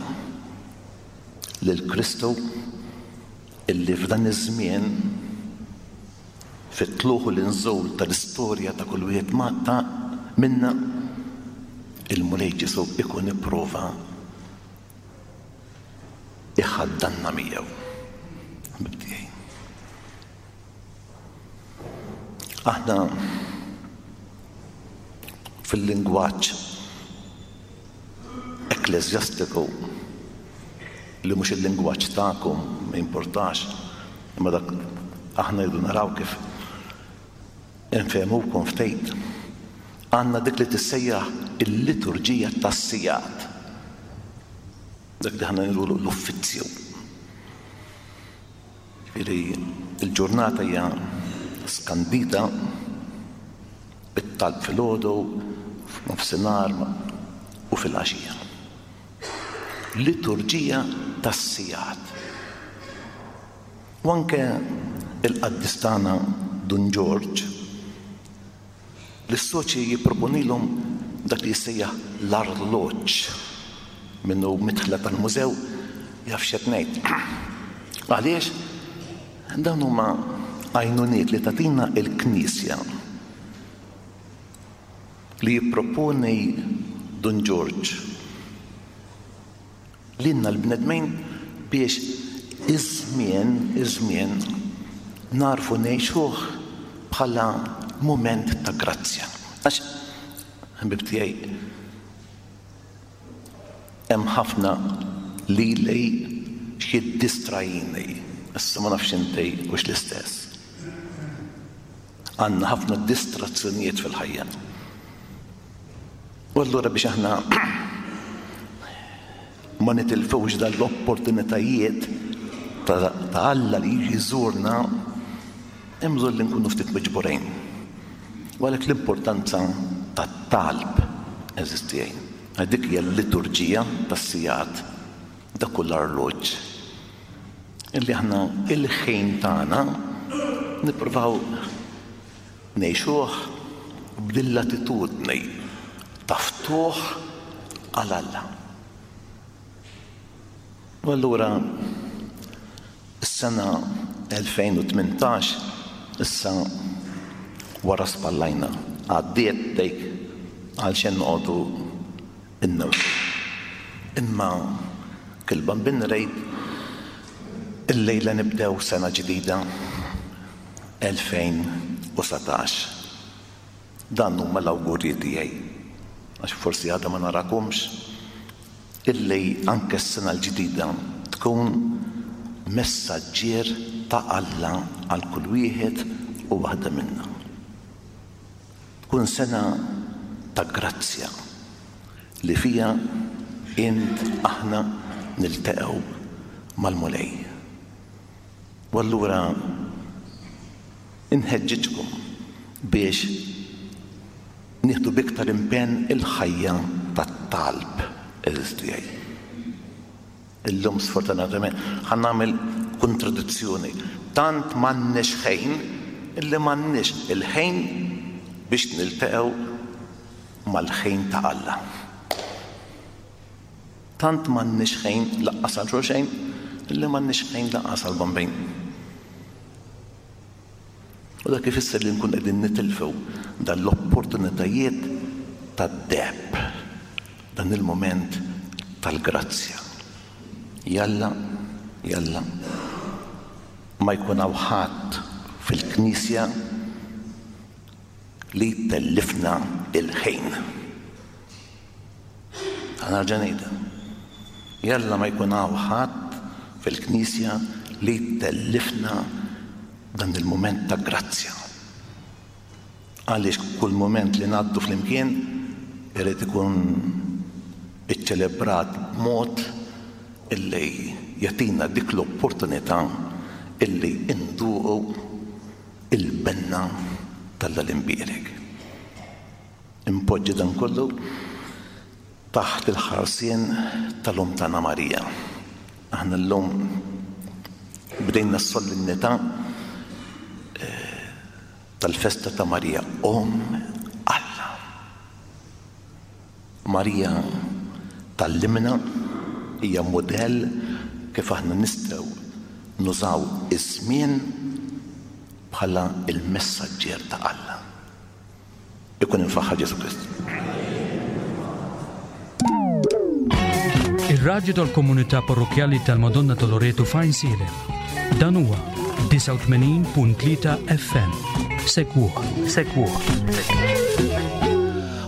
lil Kristu illi f'dan iż-żmien fit-tluħ u l-inżul tal-istorja ta' kull wieħed ta' minna il-Mulej Ġesù ikun ipprova iħaddanna miegħu. Aħna fil-lingwaġġ ekkleżjastiku li mhux il-lingwaġġ tagħkom ma importax, imma dak aħna jridu naraw kif infehmukom ftit. Għandna dik li tissejjaħ il-liturġija tas-sigħat, dak li aħna ngħidulu l-uffizzju. Ġifieri il-ġurnata hija skandita bit-talb filgħodu, f'nofsinhar u fil-għaxija. Liturġija tas-sigħat. U anke il-qaddis tagħna Dun Ġorġ l-soċji jipproponilhom dak li jissejjaħ l-arloġġ. Minnu midħla tal-mużew jaf x'qed ngħid. Għaliex? Dawn huma għajnuniet li tagħtina l-Knisja li jipproponi Dun Ġorġ lilna l-bnedmin biex iż-żmien, iż-żmien narfu ngħixuh bħala mument ta' grazzja. Għax, ħbib tiegħi, hemm ħafna lili x'jiddistrajini Issa ma nafx inti hux l-istess. Għandna ħafna distrazzjonijiet fil-ħajja. U allura biex aħna ma nitilfux dan l-opportunitajiet ta' Alla li jiġi jżurna, hemm bżonn li nkunu ftit miġburin. U għalhekk l-importanza tat-talb eżistijajn. Dik hija l-liturġija tas-sigħat, dak kull arloġġ. Illi aħna il-ħin tagħna nippruvaw ngħixuh b'din l-attitudni ta' ftuħ għal Alla. U allura is-sena elfejn u tmintax issa wara spallajna, għaddiet dik għal xejn noqogħdu innewsu. Imma kil-Bambin rejt illejla nibdew sena ġdida elfejn u satax. Dan huma l-awgurji tiegħi, għax forsi għadha ma narakomx, illi anke s-sena l-ġdida tkun messaġġier ta' Alla għal kull wieħed u waħda minna. Tkun sena ta' grazzja li fija int aħna niltaqgħu mal-Mulej. U allura inħeġġiġkom biex nieħdu b'iktar impenn il-ħajja tat-talb eżistijaj. Illum sfortunatament ħa nagħmel kontradizzjoni. Tant m'għandniex ħin illi m'għandniex il-ħin biex niltaqgħu mal-ħin ta' Alla. Tant m'għandniex ħin laqqas għal xulxejn illi m'għandniex ħin laqqas għal Bambin. U dak ifisser li nkun qegħdin nitilfew dan l-opportunitajiet tad-deheb, dan il-moment tal-grazzja. Jalla, jalla, ma jkun hawn ħadd fil-Knisja li tellifna il-ħin. Ħa nerġa' ngħidha. Jalla ma jkun hawn ħadd fil-Knisja li tellifna dan il-moment ta' grazzja. Għaliex kull moment li ngħaddu flimkien irid ikun iċċelebrat b'mod illi jagħtina dik l-opportunità illi nduqu il-benna tal-Imbierek. Impoġġi dan kollu taħt il-ħarsien tal-Omm tagħna Marija. Aħna llum bdejna s-solennità tal-festa ta' Marija, Omm Alla. Marija tallimna, hija mudell kif aħna nistgħu nużaw iż-żmien bħala il-messaġġier ta' Alla. Ikun infaħħar Ġesu Kristu. Ir-radju tal-Komunità Parrokjali tal-Madonna ta' Loreto f'Għajnsielem. Dan huwa disgħa u tmenin punt tlieta F M. Segwuh, segwuh.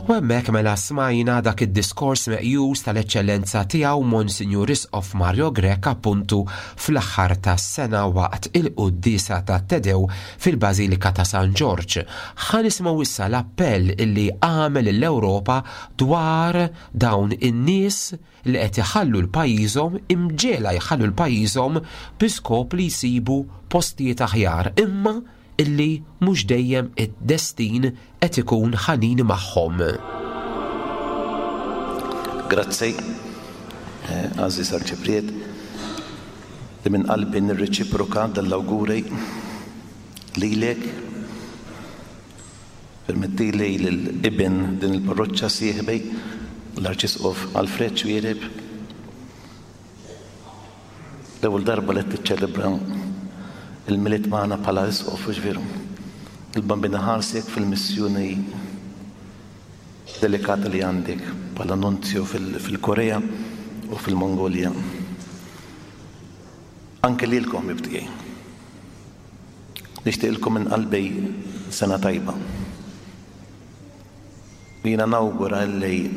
U hemmhekk mela smajna dak id-diskors meqjus tal-eċċellenza tiegħu Monsinjur Isqof Mario Grech appuntu fl-aħħar tas-sena waqt il-quddiesa ta' Te Deum fil-Bażilika ta' San Ġorġ. Ħa nisimgħu issa l-appell illi għamel l-Ewropa dwar dawn in-nies li qed iħallu l-pajjiżhom, imġiegħla jħallu l-pajjiżhom bi skop li jsibu postijiet aħjar, imma illi mhux dejjem id-destin qed ikun ħanin magħhom. Grazzi, eh, Aziz Arċipriet, li minn qalbi nirreċiproka dal-awguri lilek. Permettili lil-ibn din il-parroċċa sieħbi l-Arċisqof Alfred Xuereb. L-ewwel darba li tiċċelebra il-Milied magħna bħala isqof, hux veru? Il-Bambina ħarsek fil-missjoni delikata li għandek bħala nunzju fil-, fil-Korea u fil-Mongolja. Anke lilkom ħbieb tiegħi. Nixtieqilkom minn qalbi sena tajba. Jiena nawgura li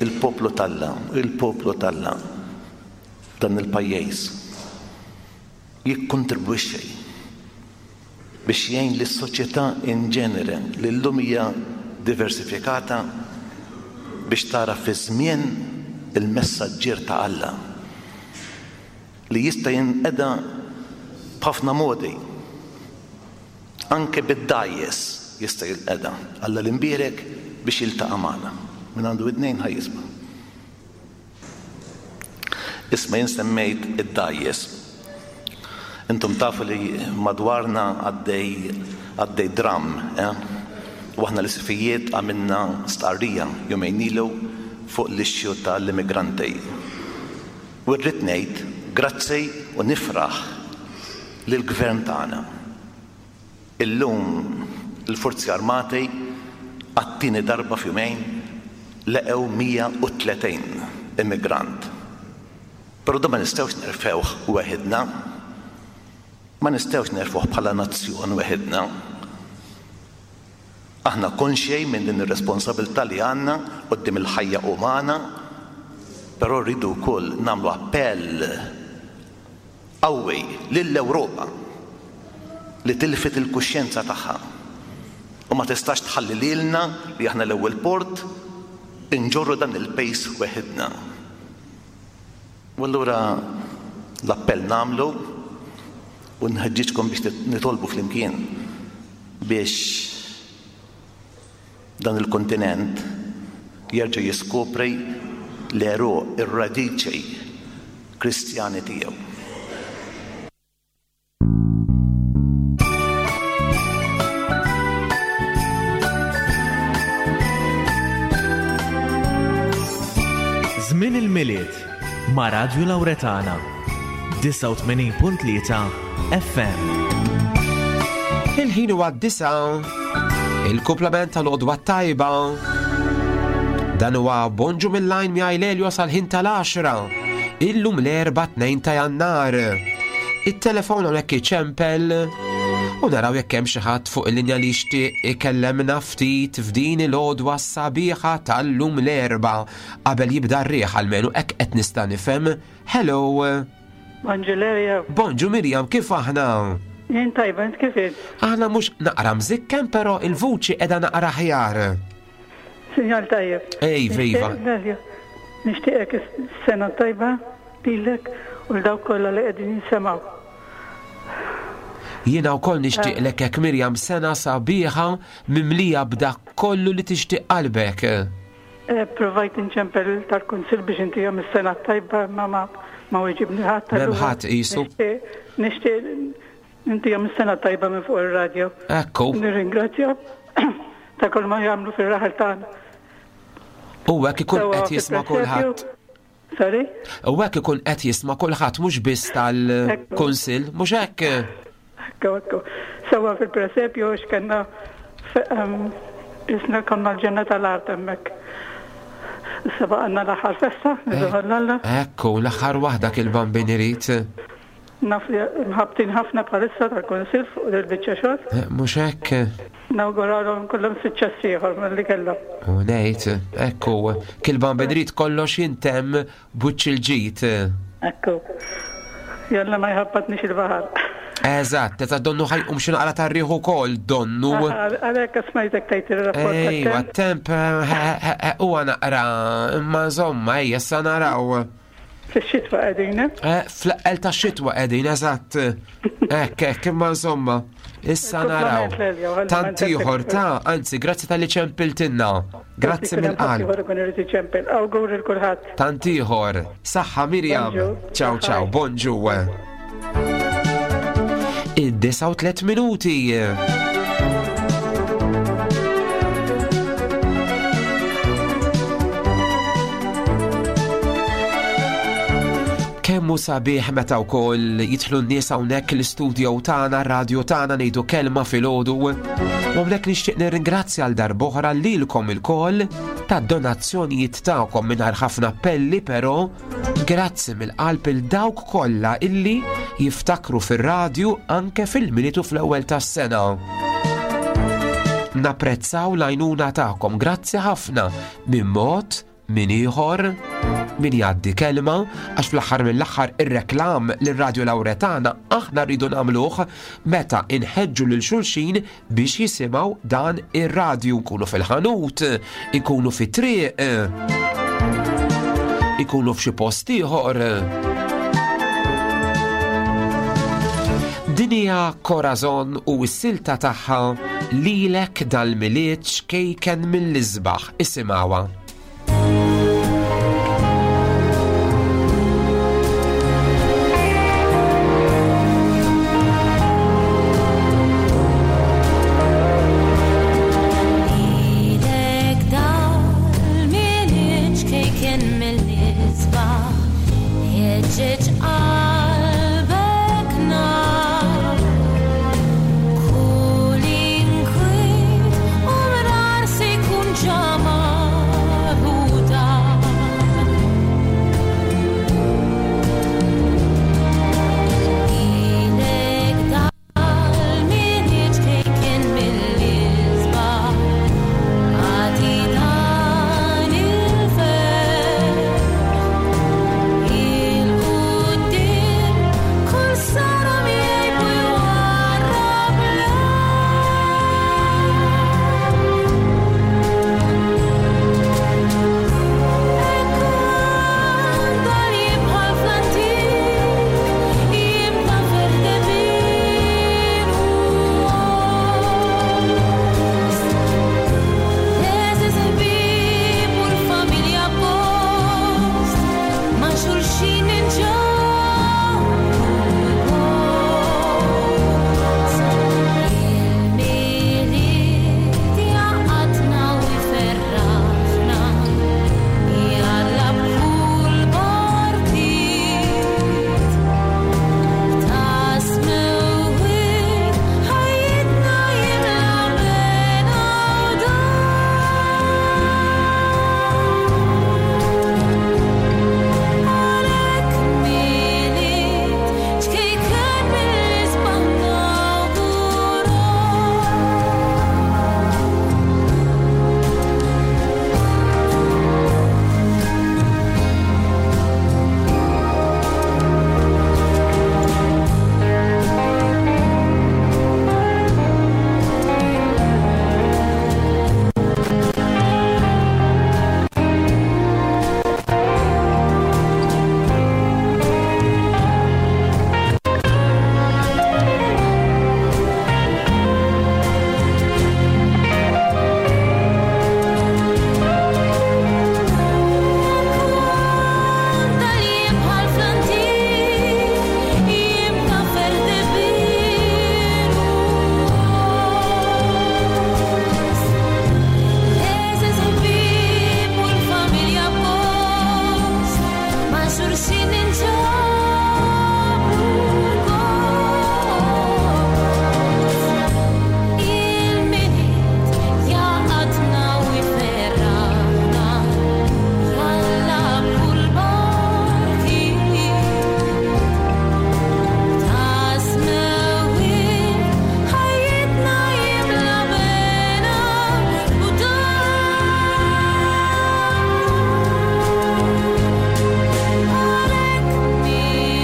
il-poplu t'Alla, il-poplu t'Alla dan il-pajjiż jikkontribwixxi biex jgħin lis-soċjetà in ġenere li llum hija diversifikata biex tara fi żmien il-messaġġier ta' Alla li jista' jinqeda b'ħafna modi, anke bid-dgħajjes jista' jinqeda. Alla l-imbierek biex jiltaqa' magħna. Min għandu widnejn ħa jisma'. Isma' jien semmejt id-dgħajjes. Intom tafu li madwarna għaddej għaddej dram, eh? U aħna l-isqfijiet għamilna stqarrija jumejn ilu fuq l-issue tal-immigranti. U rrid ngħid grazzi u nifraħ lill-gvern tagħna. Illum il-Forzi Armati għat-tieni darba f'jumejn leqew mija u tletin immigrant. Però dan ma nistgħux nerfewh weħidna. Ma nistgħux nerfuh bħala nazzjon weħidna. Aħna konxej minn din ir-responsabilità li għandna quddiem il-ħajja umana, però rridu wkoll nagħmlu appell qawwi lill-Ewropa li tilfet il-kuxjenza tagħha u ma tistax tħalli lilna li aħna l-ewwel port inġorru dan il-pejs weħidna. U allura l-appell nagħmlu u nħeġġiġkom biex nitolbu flimkien biex dan il-kontinent jerġa' jiskopri l-għeruq, ir-radiċi Kristjani tiegħu. Żmien il-Milied ma' Radju Lawretana disgħa u tmenin punt tlieta F M. Il-ħin huwa disa, il-kumplament tal-għodwa tajba. Dan huwa Bonġu mill-lajn miegħi Lelio sal-ħin tal-għaxra. Illum l-erba' tnejn ta' Jannar. It-telefon hawnhekk iċempel u naraw jekk hemm xi ħadd fuq il-linja li jixtieq ikellemna ftit f'din il-għodwa sabiħa tal-lum l-erba' qabel jibda r-riħ, almenu hekk qed nista' nifhem. Hello. Bonġu Lelio. Bonġu Mirjam, kif aħna? Jien tajba, int kif int? Aħna mhux naqra mżikkem, però il-vuċi qiegħda naqra ħjar. Sinjal tajjeb. Ej, viva. Nixtieqek sena tajba lilek u l-dawk kollha li qegħdin jinsemgħu. Jiena wkoll nixtieqlek hekk Mirjam sena sabiħa mimlija b'dak kollu li tixtieq qalbek. Eh, provajt inċempel tal-Kunsill biex intihom is-sena tajba, ma ma ma weġibni ħadd. M'hemm ħadd qisu. Nixtieq intihom is-sena tajba minn fuq ir-radju. Ekku. Nirringrazzja ta' kull ma jagħmlu fir-raħal tagħna. U hekk ikun qed jisma' kulħadd. Sorry? U hekk ikun qed jisma' kulħadd mhux biss tal-Kunsill, mhux hekk? Ekku, ekku. Sewwa fil-presepju x'kellna isna konna l-ġenna tal-art hemmhekk. Issa baqgħna l-aħħar festa, niżgħu l-Alla. Ekku, l-aħħar waħda kil-bambin irid. Naf li mħabtin ħafna bħalissa tal-Kunsill fuq il-biċċa xogħol. Mhux hekk. Nawguralhom kollhom suċċess ieħor milli kellhom. U ngħid, ekku, kil-bambin irid kollox jintemm b'wiċċ il-ġid. Ekku. Jalla ma jħabbatniex il-baħar. Eżatt, eżatt, donnu ħajqum xi naqra tar-riħ ukoll, donnu. Għalhekk smajtek tgħid ir-rapport Ejwa, temp huwa naqra, imma insomma, ejja issa naraw. Fix-xitwa qegħdin, eh? Eh, fl-eqqel tax-xitwa qegħdin, eżatt. Hekk, hekk, imma insomma, issa naraw. Tant ieħor ta', anzi, grazzi talli ċempiltilna. Grazzi mill-qalb. Ieħor ikun irid iċempel. Awgur lil kulħadd. Tant ieħor. Saħħa Mirjam. Ciao, ciao, bonġu. Id-disgħa u tliet minuti. Kemm hu sabiħ meta wkoll jidħlu n-nies hawnhekk l-istudio tagħna, r-radju tagħna, ngħidu kelma filgħodu. U hawnhekk nixtieq nirringrazzja għal darb'oħra lilkom ilkoll tad-donazzjonijiet tagħkom mingħajr ħafna appelli, però grazzi mill-qalb il dawk kollha illi jiftakru fir-radju anke fil-Milied u fl-ewwel tas-sena. Napprezzaw l-għajnuna tagħkom, grazzi ħafna minn mod minn ieħor, min jgħaddi kelma, għax fl-aħħar mill-aħħar ir-reklam lir-Radju Lawretana aħna rridu nagħmluh meta inħeġġu lil xulxin biex jisimgħu dan ir-radju, nkunu fil-ħanut, ikunu fit-triq, ikunu f'xi post ieħor. Din hija Corazon u s-silta tagħha lilek dal-Milied xkejken mill-isbaħ, isimgħuha. Lilek dal-Milied xkejken mill-isbaħ, ħeġġeġ qalbek nar. Kull inkwiet u mrar se jkun ġamar u dar. Lilek dal-Milied xkejken mill-isbaħ, għati dan il-ferħ. Il-quddiem kull sara miegħi u jwarrab Ekon dan jibħal fl-antik, jibda ferdebin u Eżeż ħbieb u l-familja post, ma' xulxin inġorru gost. Il-Milied jaqatna u jferraħna, jalla b'kull barkiet. Ta' smewwiet ħajjitna jimla mena u Għalhekk Milied xkejken mill-isbaħ nawgura. Dal-jiem bħal fl-antik, jiem ta' ferdebin u Eżeż ħbieb u l-familja post, ma' xulxin inġabru gost. Il-Milied jaqatna u jferraħna, jalla b'kull barkiet. Ta' smewwiet ħajjitna jimla bena u Għalhekk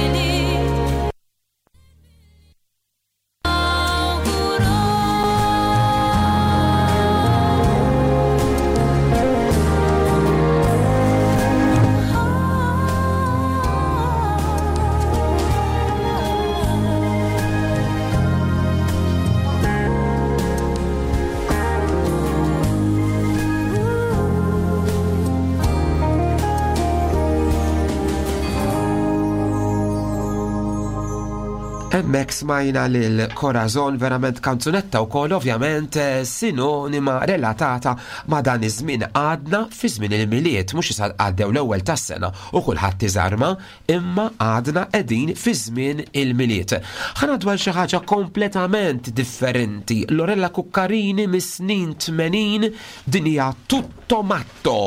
Milied Hemmhekk smajna lil Corazon, verament kanzunetta wkoll ovvjament eh, sinonima relatata ma' dan iż-żmien. Għadna fi żmien il-Milied, mhux issa għaddew l-ewwel tas-sena u kulħadd iżarma, imma għadna qegħdin fi żmien il-Milied. Ħa ngħaddu għal xi ħaġa kompletament differenti. Lorella Cuccarini mis-snin tmenin, din hija Tutto Matto.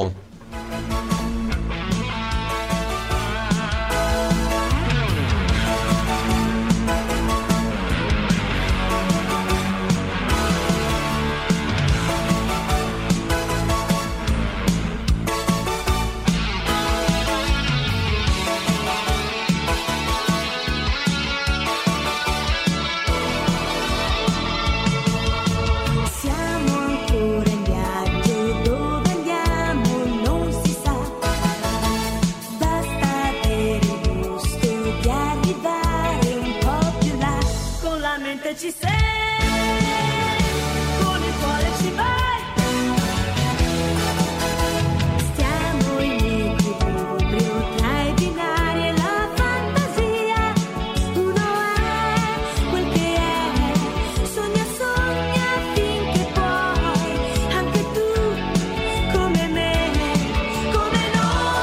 Thank Se ci sei, con il cuore ci vai. Stiamo in equilibrio tra i binari e la fantasia. Uno è quel che è, sogna, sogna finché puoi, anche tu come me, come noi.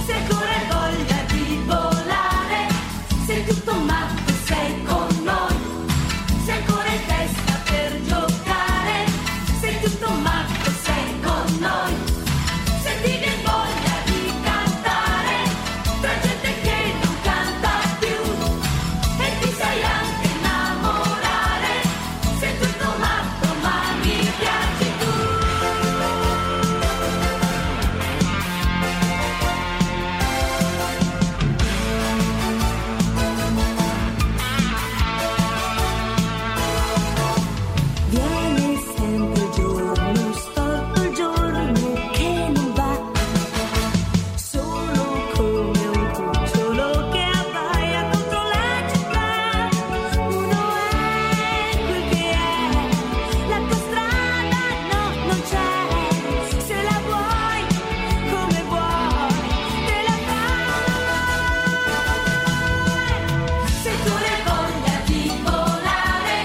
Se ancora hai voglia di volare, sei tutto matto, sei con noi. Se ancora hai testa per giocare, sei tutto matto, sei con noi. Se ti viene voglia di cantare, tra gente che non canta più, e ti sai anche innamorare, sei tutto matto, ma mi piaci tu. Viene sempre il giorno storto, il giorno che non va, solo come un cucciolo che abbaia contro la città. Uno è quel che è, la tua strada no, non c'è. Se la vuoi, come vuoi, te la fai. Se tu hai voglia di volare,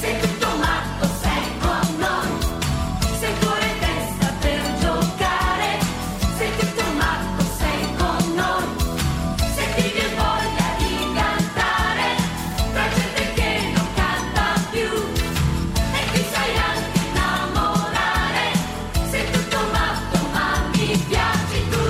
sei tutto matto, sei con noi. Se ancora hai testa per giocare, sei tutto matto, sei con noi. Se ti viene voglia di cantare, tra gente che non canta più, e ti sai anche innamorare, sei tutto matto, ma mi piaci tu.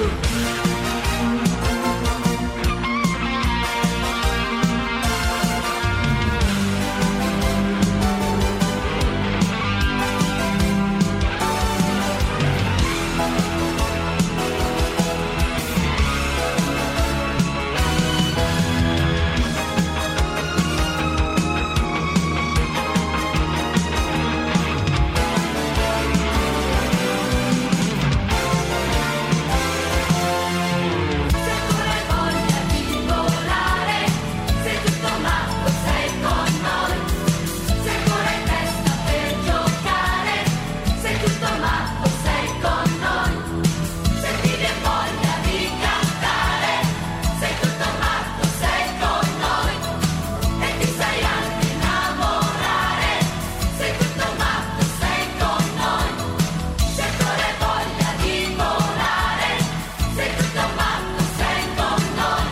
Se ancora hai voglia di volare, sei tutto matto, sei con noi. Se ancora hai testa per giocare, sei tutto matto, sei con noi. Se ti viene voglia di cantare, sei tutto matto, sei con noi. E ti sai anche innamorare, sei tutto matto, sei con noi. Se ancora hai voglia di volare, sei tutto matto, sei con noi.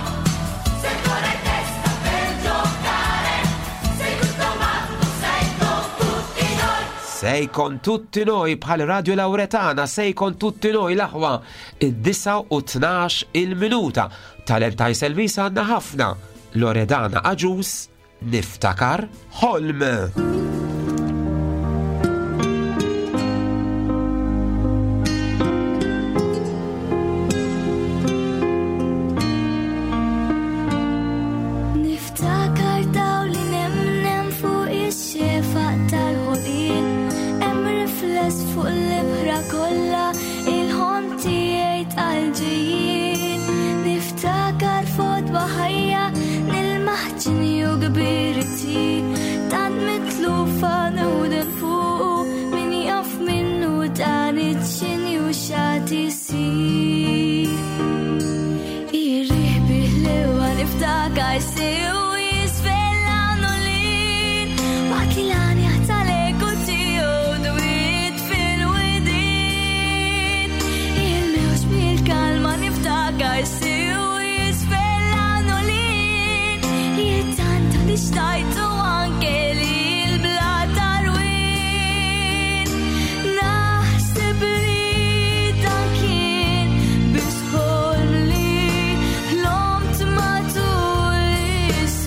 Se ancora hai testa per giocare, sei tutto matto, sei con tutti noi. Sei con tutti noi bħal Radio Lauretana, sei con tutti noi l-aħwa id-disgħa u tnax il-minuta. Talent Selvis għandna ħafna. Loredana Agius, Niftakar Ħolm. Niftakar daw li nemnem fuq ix-xefaq tal-ħolqien, hemm rifless fuq l-ibħra kollha il-ħolm tiegħi tal-ġejjin. Niftakar fodwa ħajja nil-maħġni u kbirti, tant mitlufa newden fuqu min jaf minnu dan iċ-ċini u x'għad isir. Irriħ biħlewa niftakar sew jisfella nolin, waqt li l-għanja tal-eku tiegħu dwiet fil-widin. Il-mewġ bil-kalma niftakar sew jisfella nolin, jittanta li xtajtu anke li l-bla tarwin. Naħseb li dan kien biss ħolm li ħlomt matul is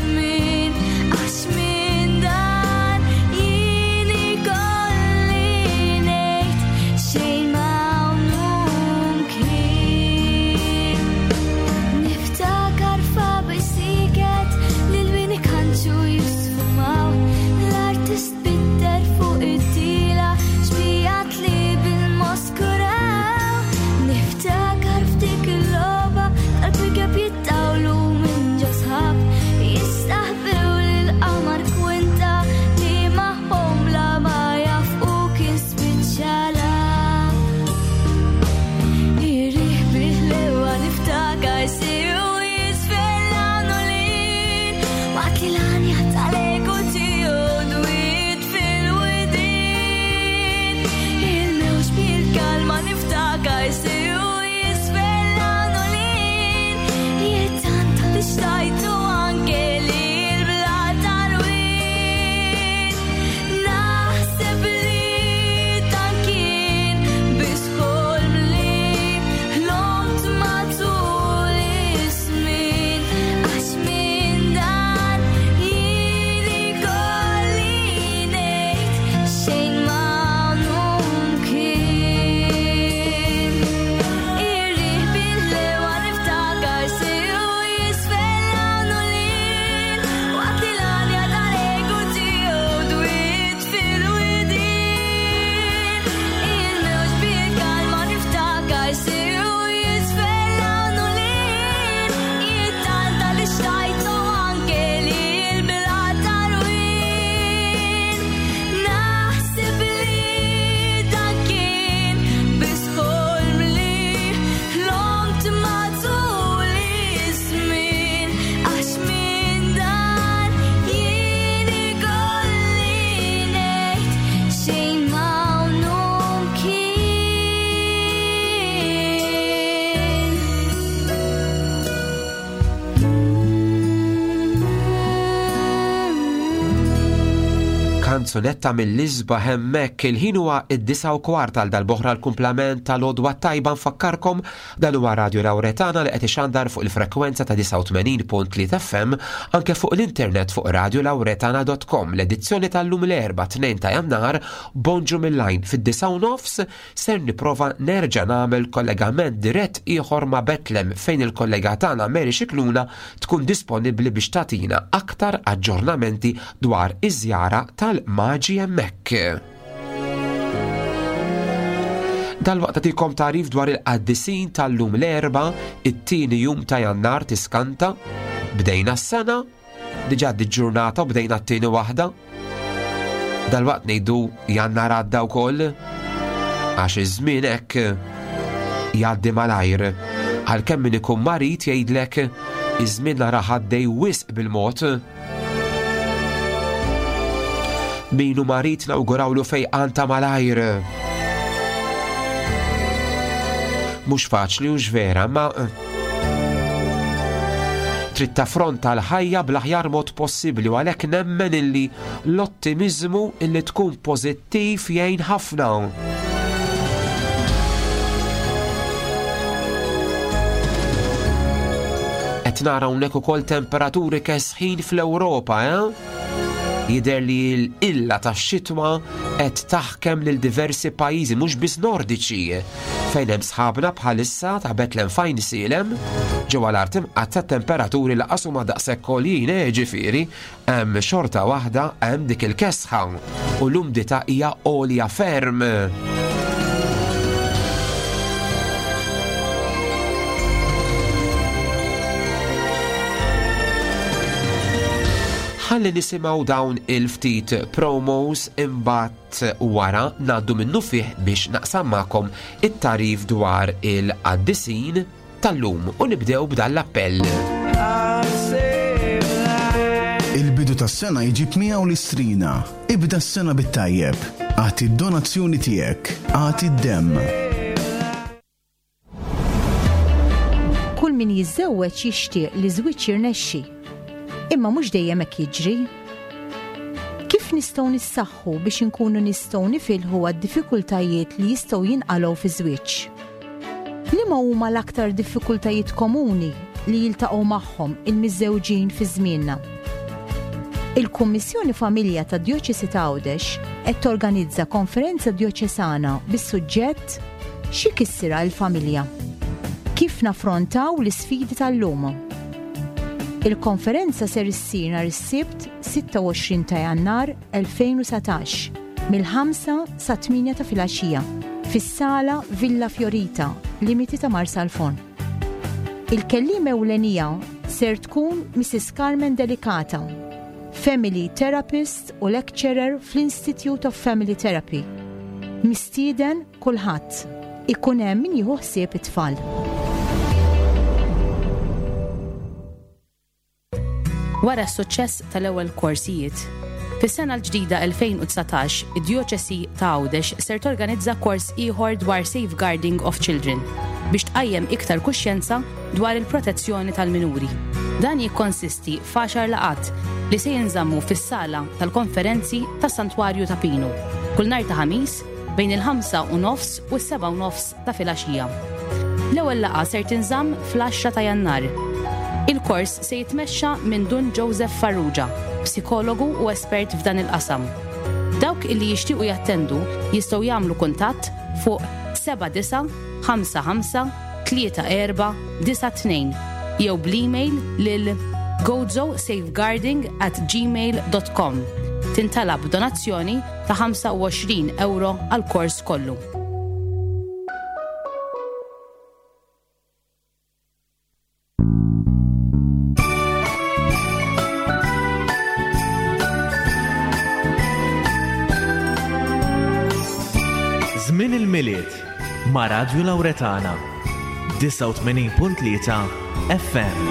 Kanzunetta mill-isbaħ hemmhekk. Il-ħin huwa id-disgħa u kwart għal darb'oħra l-kumplament tal-għodwa tajba. Nfakkarkom dan huwa Radio Lauretana li qed ixandar fuq il-frekwenza ta' disgħa u tmenin punt tlieta F M, anke fuq l-internet fuq radiolauretana punt com. L-edizzjoni tal-lum l-Erbgħa tnejn ta' Jannar, bonġu mill-lajn. Fid-disgħa u nofs ser nipprova nerġa' nagħmel kollegament dirett ieħor ma' Betlem, fejn il-kollega tagħna Mary Xikluna tkun disponibbli biex tagħtina aktar aġġornamenti dwar iż-żjara tal-Maġi hemmhekk. Dalwaqt nagħtikom tagħrif dwar il-qaddisin tal-lum l-Erbgħa, it-tieni jum ta' Jannar. Tiskanta, bdejna s-sena, diġà di ġurnata u bdejna t-tieni waħda. Dalwaqt ngħidu Jannar għadda wkoll, għax iż-żmien hekk jgħaddi malajr. Għalkemm min ikun marid jgħidlek iż-żmien nara għaddej wisq bil-mod. Min hu marid nawgurawlu fejqan ta' malajr. Mhux faċli u vera, ma trid taffronta l-ħajja bl-aħjar mod possibbli u għalhekk nemmen illi l-ottimizmu, illi tkun pożittiv, jgħin ħafna. Qed nara hawnhekk ukoll temperaturi kesħin fl-Ewropa, eh? Jidher li l-illa tax-xitwa qed taħkem lil diversi pajjiżi, mhux biss nordiċi, fejn hemm sħabna bħalissa ta' Betlem f'Għajnsielem ġewwa l-Art Imqaddsa, temperaturi lanqas huma daqshekk għoljin, eh, ġifieri hemm xorta waħda hemm dik il-kesħa u l-umdità hija għolja ferm. Ħalli nisimgħu dawn il-ftit promos, imbagħad wara ngħaddu minnufih biex naqsam magħkom it-tagħrif dwar il-qaddisin tal-lum u nibdew b'dan l-appell. Il-bidu tas-sena jġib miegħu l-istrina. Ibda s-sena bit-tajjeb. Agħti d-donazzjoni tiegħek. Agħti d-demm. Kull min jiżżewweġ jixtieq li żwieġ jirnexxi. Imma mhux dejjem hekk jiġri. Kif nistgħu nissaħħu biex inkunu nistgħu nifilħu għad-diffikultajiet li jistgħu jinqalgħu fi żwieġ? Liema huma l-aktar diffikultajiet komuni li jiltaqgħu magħhom il-miżżewġin fi żmienna? Il-Kummissjoni Familja ta' Djoċesi ta' Għawdex qed torganizza konferenza djoċesana bis-suġġett "Xi kissira l-familja? Kif naffrontaw l-isfidi tal-lum?" Il-konferenza ser issir nhar is-Sibt sitta u għoxrin ta' Jannar elfejn u dsatax mill-ħamsa sa tmienja ta' filgħaxija fis-sala Villa Fiorita, limiti ta' Marsalforn. Il-kelliem ewlenija ser tkun Missus Carmen Delicata, Family Therapist u Lecturer fl-Institute of Family Therapy. Mistieden kulħadd. Ikun hemm min jieħu ħsieb it-tfal. Wara s-suċċess tal-ewwel korsijiet, fis-sena l-ġdida elfejn u dsatax, id-Djoċesi ta' Għawdex ser torganizza kors ieħor dwar Safeguarding of Children biex tqajjem iktar kuxjenza dwar il-protezzjoni tal-minuri. Dan jikkonsisti f'għaxar laqat li se jinżammu fis-sala tal-konferenzi tas-Santwarju ta' Pinu kull nhar ta' Ħamis bejn il-ħamsa u nofs u s-seba' u nofs ta' filgħaxija. L-ewwel laqgħa ser tinżamm fl-għaxra ta' Jannar. Il-kors se jitmexxa minn Dun Joseph Farrugia, psikologu u espert f'dan il-qasam. Dawk illi jixtiequ jattendu jistgħu jagħmlu kuntatt fuq seba' disa' ħamsa ħamsa tlieta erba' disa' tnejn jew bl-email lil gozosafeguarding at gmail dot com. Tintalab donazzjoni ta' ħamsa u għoxrin euro għal kors kollu. Żmien il-Milied ma' Radju Lauretana disgħa u tmenin punt tlieta F M.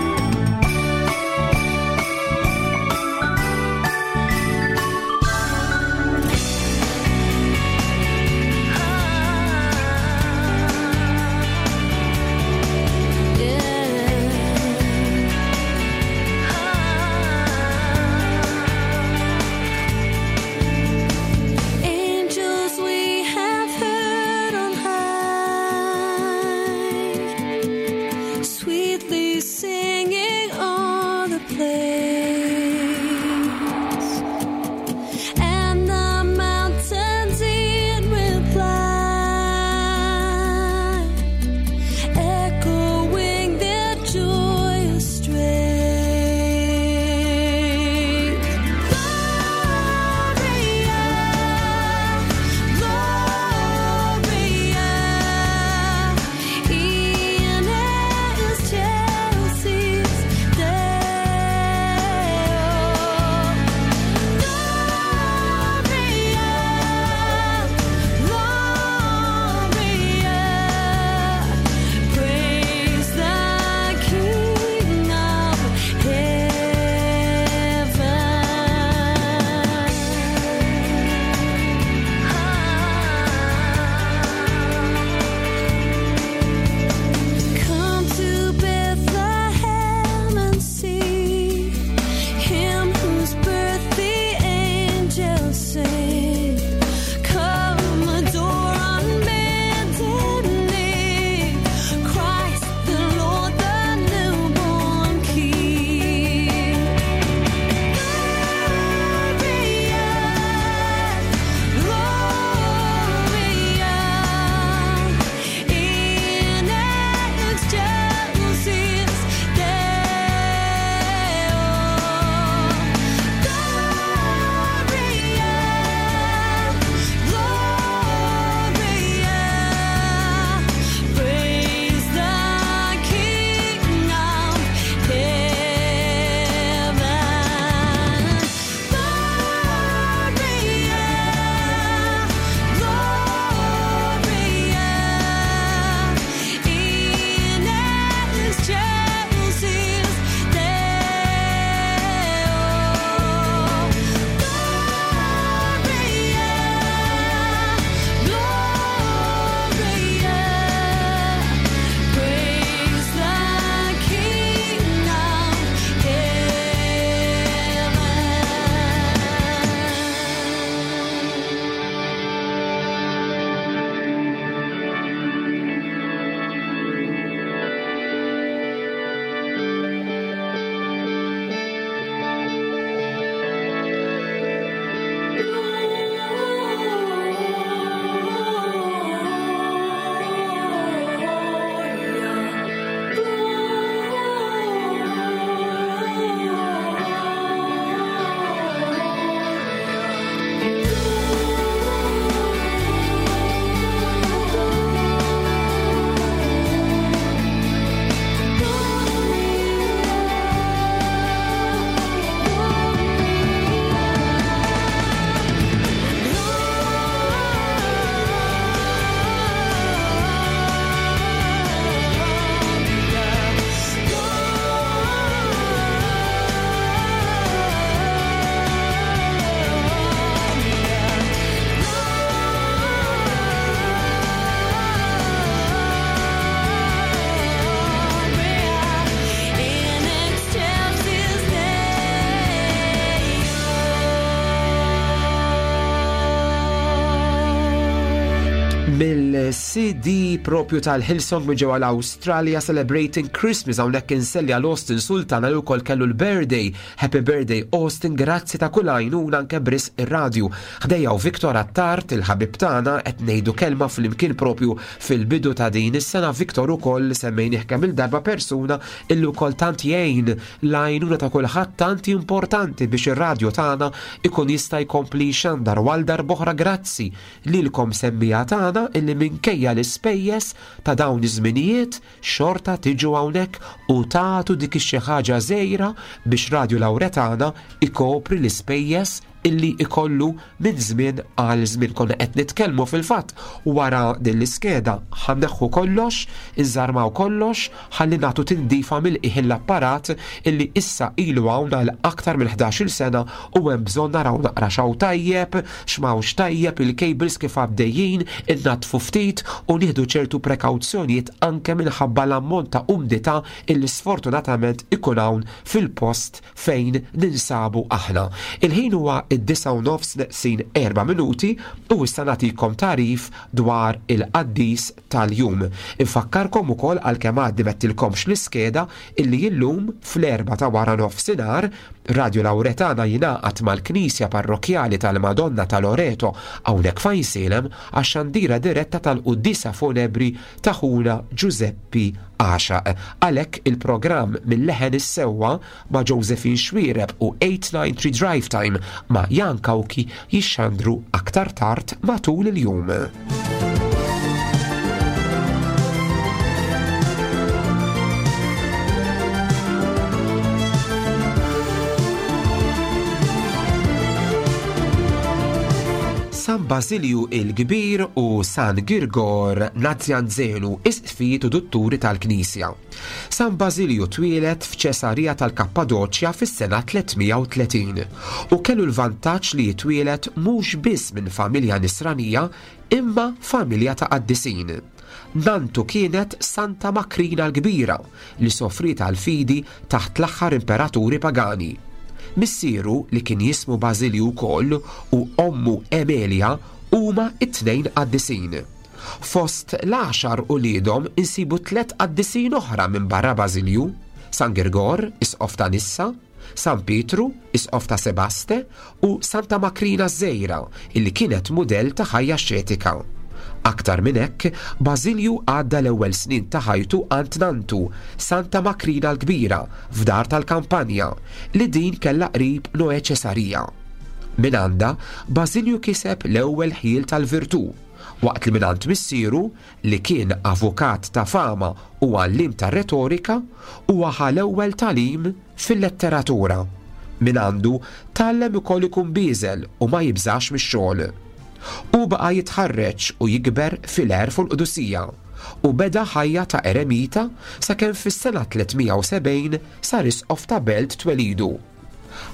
Sweetly singing on the plains, and the mountains in reply, echoing their joyous strains. Gloria, Gloria, in excelsis Deo. Gloria, Gloria, praise the King of heaven. Come to Bethlehem and see him whose birth the angels sing. Come adore on bended knee, Christ the Lord, the newborn King. Gloria, Gloria, in excelsis Deo. Gloria, Gloria, praise the King of heaven. Gloria, Gloria, in excelsis Deo. Gloria, Gloria, praise the King of heaven. In excelsis Mill-C D propju tal-Hillsong minn ġewwa l-Awstralja, Celebrating Christmas, hawnhekk inselli għal Austin Sultana li wkoll kellu l-birthday. Happy birthday, Austin, grazzi ta' kull għajnuna anke bris ir-radju. Ħdejja u Victor Attard, il-ħabib tagħna, qed ngħidu kelma flimkien propju fil-bidu ta' din is-sena. Victor ukoll semmejnih kemm il-darba, persuna illi wkoll tant jgħin, l-għajnuna ta' kulħadd tant importanti biex ir-radju tagħna ikun jista' jkompli xandar. Għal darb'oħra grazzi lilkom semmiegħa tagħna illi minkejja l-ispejjeż ta' dawn iż-żminijiet xorta tiġu hawnhekk u tagħtu dik ix-xi ħaġa żgħira biex Radju Lawretana ikopri l-ispejjeż illi ikollu minn żmien għal żmien. Konna qed nitkellmu fil-fatt wara din l-iskeda ħa nneħħu kollox, inżarmaw kollox, ħalli nagħtu tindifa mill-qiegħ l-apparat illi issa ilu hawn għal aktar minn ħdax-il sena u hemm bżonn naraw naqra x'hawn tajjeb, x'mawx tajjeb, il-cables kif għaddejjin, innatfu ftit u nieħdu ċertu prekawzjonijiet anke minħabba l-ammont ta' umdità illi sfortunatament ikun hawn fil-post fejn ninsabu aħna. Il-ħin huwa id-disgħa u nofs neqsin erba' minuti u issa nagħtikom tagħrif dwar il-qaddis tal-jum. Infakkarkom ukoll għalkemm għaddi mettilkomx l-iskeda illi illum fl-erba' ta' wara nofsinhar Radio Lauretana jingħaqad mal-Knisja Parrokjali tal-Madonna ta' Loreto hawnhekk f'Għajnsielem għax-xandira diretta tal-Quddiesa Funebri ta' ħuna Giuseppi Għaxaq. Għalhekk il-programm mill-leħen is-sewwa ma' Josephine Xuereb u eight nine three Drive Time ma' Jan Cauchi jixxandru aktar tard matul il-jum. San Basilju il-Kbir u San Girgor Nazianzenu, isqfijiet u dutturi tal-Knisja. San Basilju twieled f'Ċesarija tal-Kappadoċja fis-sena tliet mija u tletin u kellu l-vantaġġ li jitwieled mhux biss minn familja nisranija imma familja ta' qaddisin. Nantu kienet Santa Makrina l-Kbira li soffriet għal-fidi taħt l-aħħar imperaturi pagani. Missieru li kien jismu Basilju wkoll u ommu Emilia huma it-tnejn qaddisin. Fost l-għaxar uliedhom insibu tliet qaddisin oħra minn barra Basilju: San Girgor, isqof ta' Nissa, San Pietru, isqof ta' Sebaste, u Santa Makrina Żejra, illi kienet mudell ta' ħajja xetika. Aktar minn hekk, Basilju għadda l-ewwel snin ta' ħajtu għand nantu, Santa Makrina l-Kbira, f'dar tal-kampanja, li din kellha qrib Noe Ċesarija. Minn għandha, Basilju kiseb l-ewwel ħjiel tal-virtù, waqt li minn għand missieru, li kien avukat ta' fama u għallim ta' retorika, huwa ħa l-ewwel tagħlim fil-letteratura. Minn għandu tgħallem ukoll ikun bieżel u ma jibżax mix-xogħol. U baqa' jitħarreġ u jikber fil-għerf u l-qdusija u beda ħajja ta' eremita sakemm fis-sena tliet mija u sebgħin sar isqof ta' belt twelidu.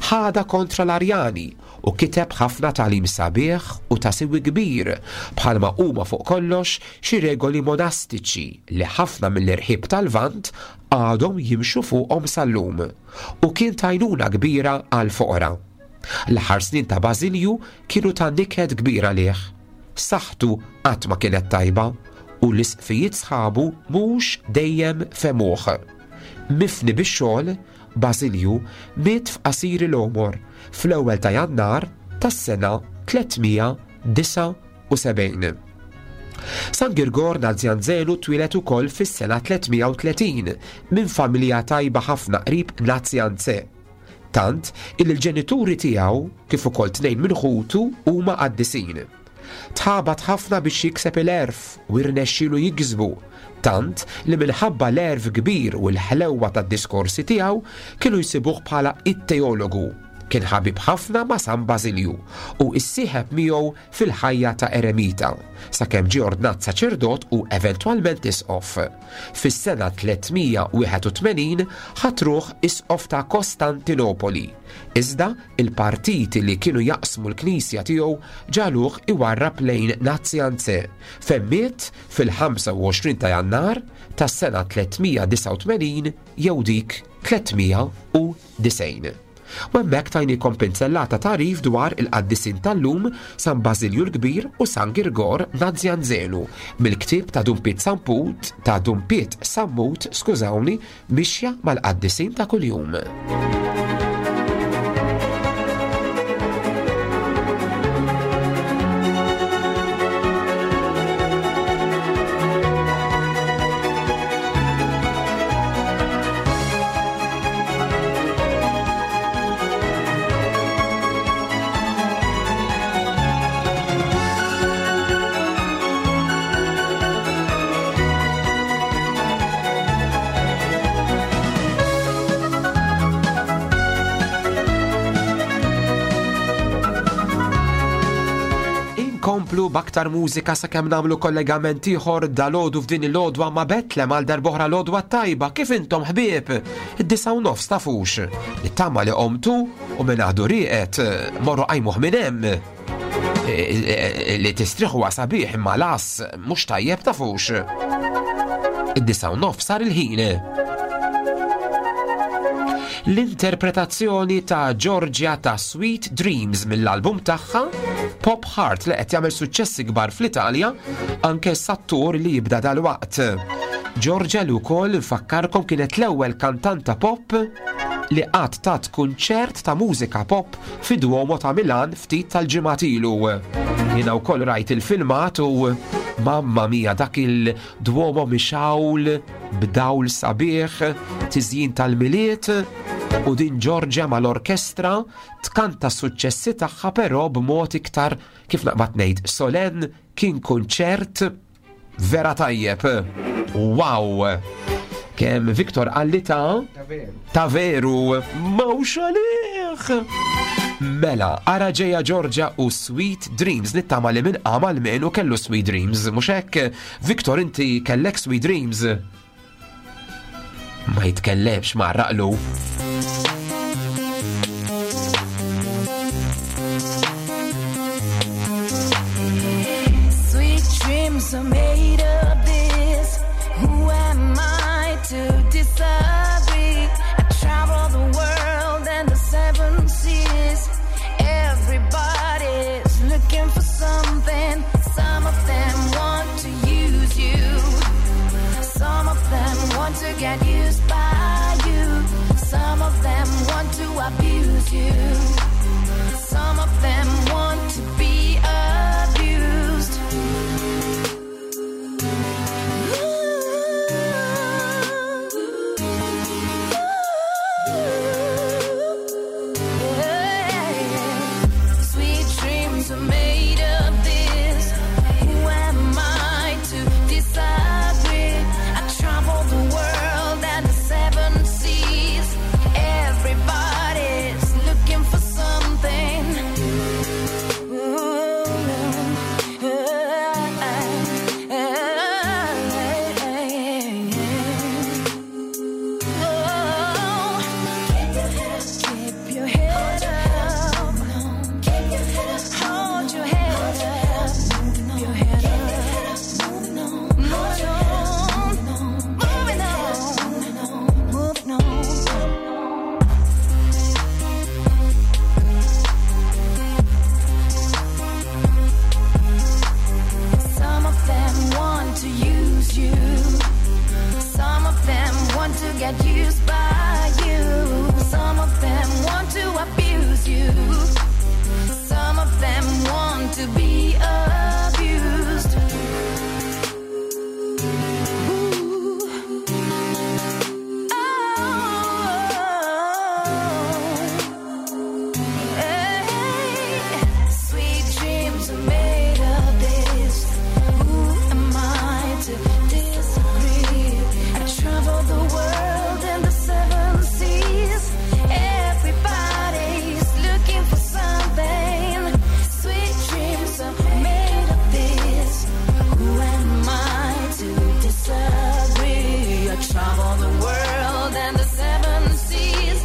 Ħada kontra l-Arjani u kiteb ħafna tagħlim sabiħ u ta' siwi kbir bħalma huma fuq kollox xi regoli monastiċi li ħafna mill-irħib tal-Lvant għadhom jimxu fuqhom sal-lum u kien tajnuna kbira għal foqra. L-aħħar snin ta' Basilju kienu ta' niket kbira għalih. Saħħtu qatt ma kienet tajba u l-isqfijiet sħabu mhux dejjem femuh. Mifni bix-xogħol, Basilju miet f'qasir l-għomor fl-ewwel ta' Jannar tas-sena tliet mija disgħa u sebgħin. San Girgor Nazianzenu twieled ukoll fis-sena tliet mija u tletin minn familja tajba ħafna qrib Nazianze. Tant illi l-ġenituri tiegħu kif ukoll tnejn minn ħutu huma qaddisin. Tħabat ħafna biex jikseb il-għerf u rnexxielu jiksbu, tant li minħabba l-għerf kbir u l-ħlewwa tad-diskorsi tiegħu kienu jsibuh bħala it-teologu. Kien ħabib ħafna ma' San Basilju u issieħeb miegħu fil-ħajja ta' eremita, sakemm ġie ordnat saċerdot u eventwalment isqof. Fis-sena tliet mija u wieħed u tmenin ħatruh isqof ta' Kostantinopoli. Iżda il-partiti li kienu jaqsmu l-knisja tiegħu ġaluh iwarrab lejn Nazianze, fejn miet fil-ħamsa u għoxrin ta' Jannar tas-sena tliet mija disgħa u tmenin jew dik tliet mija u disgħin. U hemmhekk tajnikom pinzellata tagħrif dwar il-qaddisin tal-lum San Basilju l-Kbir u San Girgor Nazianzenu mill-ktieb ta' Dun Piet Samput, ta' Dun Piet Sammut, skużawni, Mixja mal-Qaddisin ta' Kuljum. Inkomplu b'aktar mużika sakemm nagħmlu kollegament ieħor dalgħodu f'din il-għodwa ma' Betlem għal darb'oħra l-għodwa tajba. Kif intom ħbieb? Id-disgħa u nofs tafux. Nittama li qomtu u minn għadu rieqed morru qajmuh minn hemm. E, e, e, li tistriħu sabiħ imma las mhux tajjeb tafux. Id-disgħa u nofs sar il-ħin. L-interpretazzjoni ta' Giorgia ta' Sweet Dreams mill-album tagħha Pop Heart li qed jagħmel suċċessi kbar fl-Italja anke sattur li jibda dalwaqt. Giorgia li wkoll nfakkarkom kienet l-ewwel kantanta pop li qatt tat kunċert ta' mużika pop fi Duomo ta' Milan ftit tal-ġimgħat ilu. Jiena wkoll rajt il-filmat u mamma mia dak il-Duomo mixawl b'dawl sabiħ, tiżjin tal-Milied u din Giorgia mal-orkestra tkanta s-suċċessi tagħha però b'mod iktar kif naqbad ngħid solenn kien kunċert vera tajjeb. Wow! Kemm Viktor qalli ta' ta' veru mawx għalih. Mela, ara ġeja Giorgia u Sweet Dreams nittama li minn qam almenu kellu Sweet Dreams, mhux hekk? Viktor inti kellek Sweet Dreams? Ma jitkellemx ma raqlu. Sweet dreams are made of this. Who am I to disagree? I travel the world and the seven seas. Everybody's looking for something. Some of them want to use you. Some of them want to get used by you. Some of them want to abuse you. Some of them want to be abused. Sweet dreams are made of this. Who am I to disagree? I travel the world and the seven seas. Everybody's looking for something. Oh, keep your head up. Keep your head up. Hold your head up. Keep your head up. Moving on. Moving on. Moving on. Some of them want to use you. Some of them want to get used by you. Some of them want to abuse you. Some of them want to be abused. Ooh. Oh. Hey. Sweet dreams are made of this. Who am I to disagree? I travel the world and the seven seas. Everybody's looking for something. Sweet dreams are made of this. Who am I to disagree? I travel the world and the seven seas.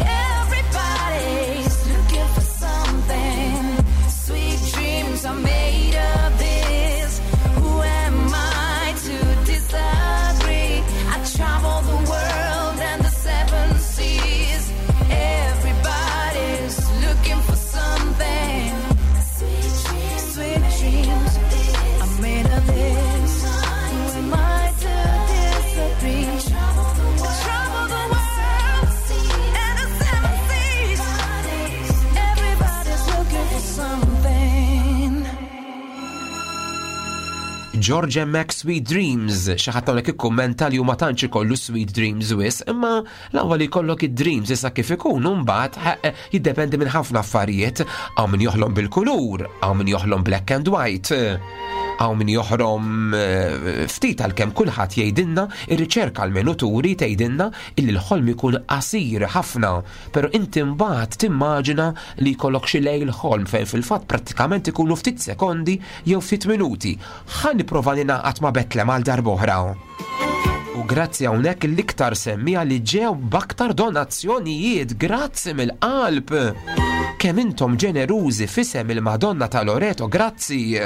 Everybody's looking for something. Sweet dreams are made of this. Who am I to disagree? I travel the world and the seven seas. Everybody's looking for something. Sweet dreams, sweet dreams are made of this. Who am I to disagree? Travel the world and the seven seas. Everybody's looking for something. George Mac Sweet Dreams, xi ħadd hawnhekk ikkummenta li huma tantx ikollu Sweet Dreams wis, imma l-ewwel jkollok id-dreams issa kif ikun u mbagħad ħa- jiddependi minn ħafna affarijiet, hawn min joħlom bil-kulur, hawn min joħlom black and white. Hawn min joħrom eh, ftit għalkemm kulħadd jgħidilna, ir-riċerka għal turi tgħidilna illi l-ħolm ikun qasir ħafna, però inti mbagħad timmaġina li jkollok xi lejl ħolm fejn fil-fatt prattikament ikunu ftit sekondi jew ftit minuti. Ħa nipprova ningħaqad ma' Betlem għal darb'oħra. U grazzi hawnhekk l-iktar semmija li ġew b'aktar donazzjonijiet, grazzi mill-qalb. Kemm intom ġenerużi f'isem il-Madonna ta' Loreto, grazzi.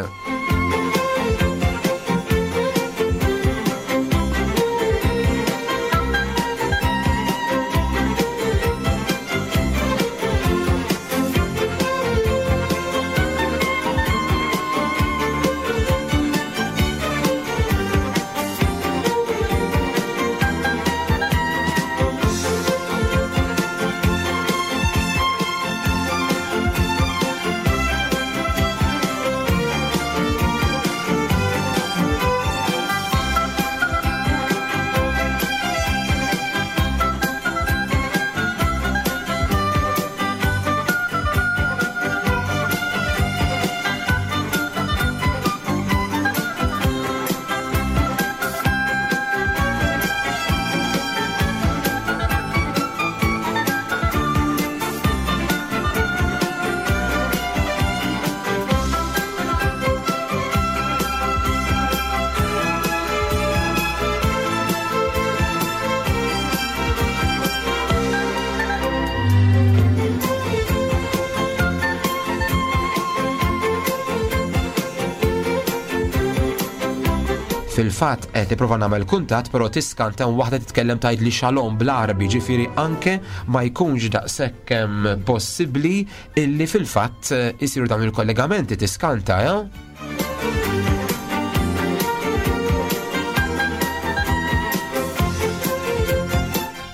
Fil-fatt qed nipprova nagħmel kuntatt, però tiskanta waħda titkellem tgħid li shalom bl-Għarbi, ġifieri anke ma jkunx daqshekk possibbli illi fil-fatt isiru dawn il-kollegamenti, tiskanta, eh?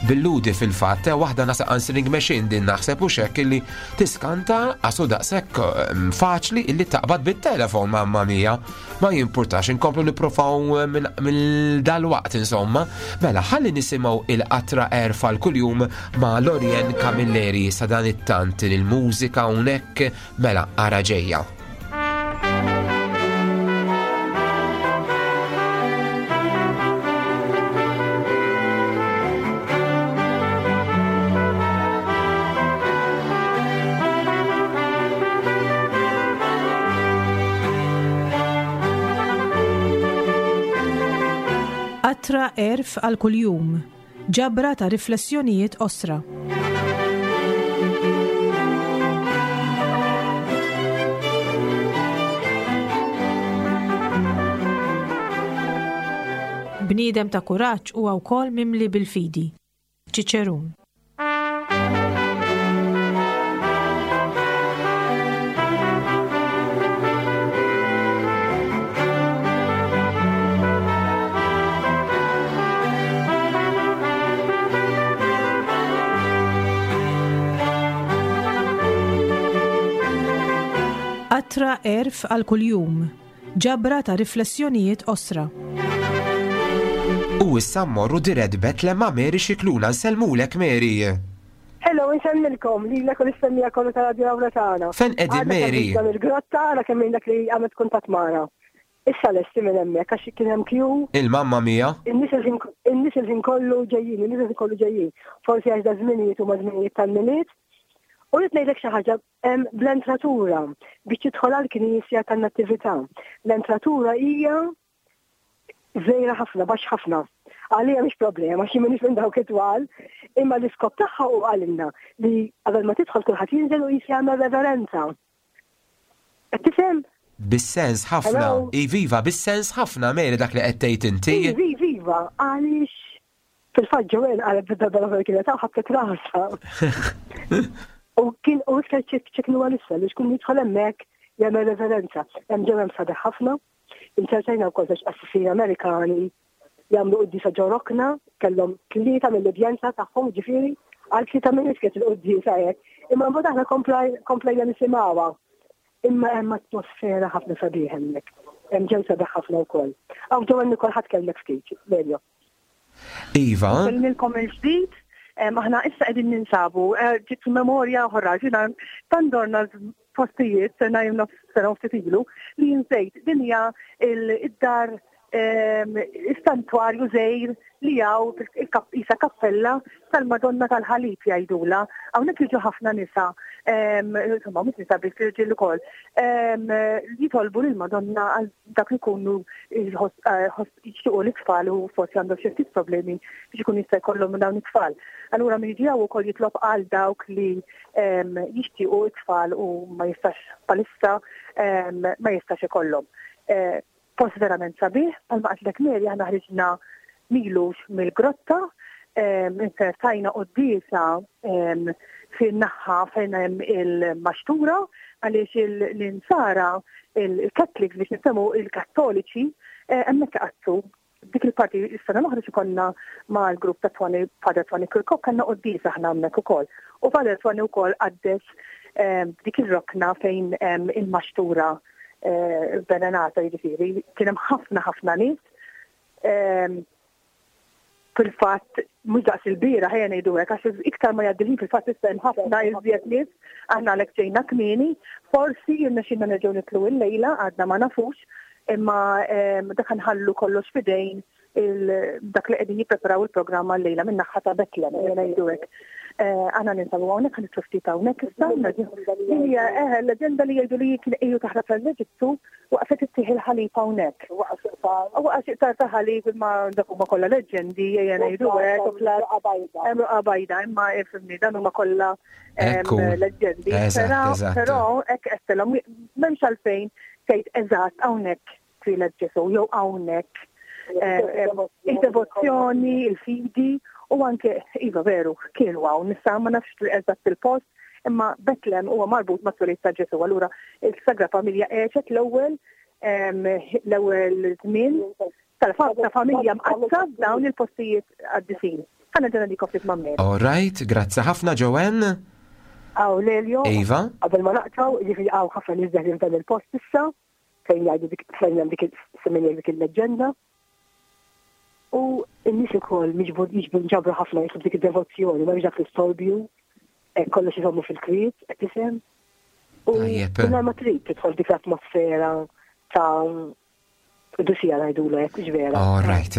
Billudi fil-fatt, waħda nasa answering machine din naħseb u xek illi tiskanta għasu daqshekk faċli illi taqbad bit-telefon, mamma mia. Ma jimpurtax, inkomplu nipprovaw minn dal-waqt insomma. Mela, ħalli nisimgħu il-qatra erfa l-kuljum ma' Lorien Camilleri sa dan it-tant il-mużika hawnhekk, mela ara ġejja. Qatra erf għal kuljum, ġabra ta' riflessjonijiet qosra. Bniedem ta' kuraġġ huwa wkoll mimli bil-fidi. Ċiċerun. Qatra erf għal kuljum, ġabra ta' riflessjonijiet qosra. U issa mmorru dirett Betlem ma' Mary Scicluna. Nsellmulek Mary. Hello, nsellmilkom, lilek u l-istemmija kollu ta' Radio Lauretana. Fejn qegħdin Mary? Għadna il-grotta, għadna kemm dak li għamet kuntatt magħna. Issa lesti minn hemmhekk għax kien hemm kju. Il-mamma mia. In-nies il-ħin kollu ġejjin, in-nies il-ħin kollu ġejjin. Forsi għax da żminijiet huma żminijiet tal-Milied. U rrid ngħidlek xi ħaġa bl-entratura biex tidħol għall-knisja tan-Natività. L-entratura hija żgħira ħafna, baxx ħafna. Għalija mhix problema, xi m'iniex minn dawk it-twal, imma l-iskop tagħha hu qalilna li qabel ma tidħol kulħadd jinżel u jis jagħmel reverenza. Qed tifhem? Bis-sens ħafna. Iviva, bis-sens ħafna Mary dak li qed tgħid inti. Iviva, għaliex fil-fatt Joanne qalet bid-darba l-oħra kienet hawn ħabtet rasha. U kien u iktar ċeknu għal-issa li xkun jidħol hemmhekk jagħmel reverenza. Hemm ġew hemm sabiħ ħafna. Insertajna wkoll żewġ qassisin Amerikani jagħmlu quddiesa ġo rokna, kellhom tlieta mill-udjenza tagħhom, ġifieri għal tlieta minn nies kienet il-quddiesa hekk. Imma mbagħad aħna komplejna nisimgħuha. Imma hemm atmosfera ħafna sabiħ hemmhekk. Hemm ġew sabiħ ħafna wkoll. Hawn ġew Nikol ħadd kellek ftit, Lelio. Iva. Kellilkom il-ġdid. Aħna issa qegħdin ninsabu, ġiet memorja oħra, ġina tandorna postijiet sena jew nofs sena ftit ilu li jinsejt din hija id-dar is-santwarju żgħir li hawn isa kappella tal-Madonna tal-Ħalib jgħidula. Hawnhekk jiġu ħafna nisa, insomma mhux nisa biss irġiel ukoll, jitolbu lill-Madonna għal dak li jkunu jixtiequ l-itfal u forsi għandhom xi ftit problemi biex ikun jista' jkollhom dawn it-tfal. Allura min jiġi hawn ukoll jitlob għal dawk li jixtiequ it-tfal u ma jistax palissa ma jistax ikollhom. Post verament sabiħ, bħalma qatlek Mary aħna ħriġna milux mill-grotta, insertajna quddiesa fin-naħa fejn hemm il-maxtura għaliex l-insara, il-Catholics biex niftehmu il-Kattoliċi, hemmhekk iqaddsu. Dik il-parti is-sena l-oħra xi konna mal-grupp ta' Twani, Father Twani Kirkop, kellna quddiesa aħna hemmhekk ukoll. U Father Twani wkoll qaddes dik ir-rokna fejn hemm il-maxtura venerata, jiġifieri kien hemm ħafna ħafna nies. Fil-fatt mhux daqs il-bira ħejja ngħidu hekk għax iktar ma jgħaddi ħin fil-fatt issa hemm ħafna iżjed nies, aħna għalhekk ġejna kmieni, forsi jirnexxilna nerġgħu nitlu l-lejla għadna ma nafux, imma dak nħallu kollox f'idejn dak li qegħdin jippreparaw il-programm għal-lejla min-naħa ta' Betlem, ejja ngħidu hekk. Aħna ninsabu hawnhekk ħa nitlu ftit hawnhekk issa. Hija eh l-leġenda li jgħidu li kien qiegħu taħrab l-Eġittu waqfet ittieħ il-ħalib hawnhekk. Waqa' xi qtar ta' ħalib imma dak huma kollha leġendi ejja ngħidu hekk hemm ruqa bajda imma ifhimni dan huma kollha leġendi. Però hekk qedtilhom m'hemmx għalfejn tgħid eżatt hawnhekk twieled Ġesu jew hawnhekk Il-devozzjoni, il-fidi u anke, iva veru, kienu hawn, nista' ma nafx eżatt il-post, imma Betlem huwa marbut ma' twelid ta' Ġesu. Allura il-Sagra Familja għexet l-ewwel l-ewwel żmien tal-familja mqaddsa f'dawn il-postijiet qaddisin. Ħa nerġa' ngħaddik ftit ma' Mary. All right, grazzi ħafna Joanne. Aw, Lelio. Iva. Qabel ma naqtaw, ġifieri hawn ħafna nies deħlin f'dan il-post issa, fejn jgħidu dik fejn hemm dik il- dik il-leġġenda. U n-nies ukoll miġbur jiġbru nġabru ħafna jisib dik id-devozzjoni, ma dak l-istorbju, kollox iżommu fil-kwiet, qed tifhem. U Tajjeb. mingħajr ma trid tidħol dik l-atmosfera ta' qdusija ngħidulu hekk, mhux vera. All right.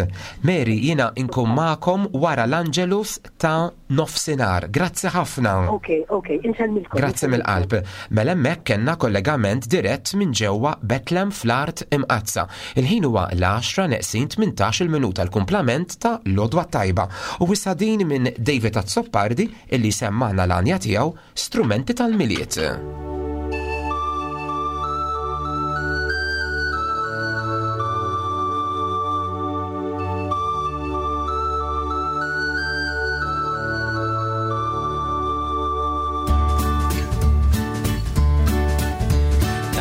Mary, jiena inkun magħkom wara l-Angelus ta' nofsinhar. Grazzi ħafna. Ok, ok, insellmilkom. Grazzi mill-qalb. Mela hemmhekk kellna kollegament dirett minn ġewwa Betlem fl-art imqaddsa. Il-ħin huwa l-għaxra neqsin tmintax-il minuta, l-kumplament ta' l-għodwa t-tajba. U issa din minn David Azzopardi illi semmana l-għanja tiegħu Strumenti tal-Milied.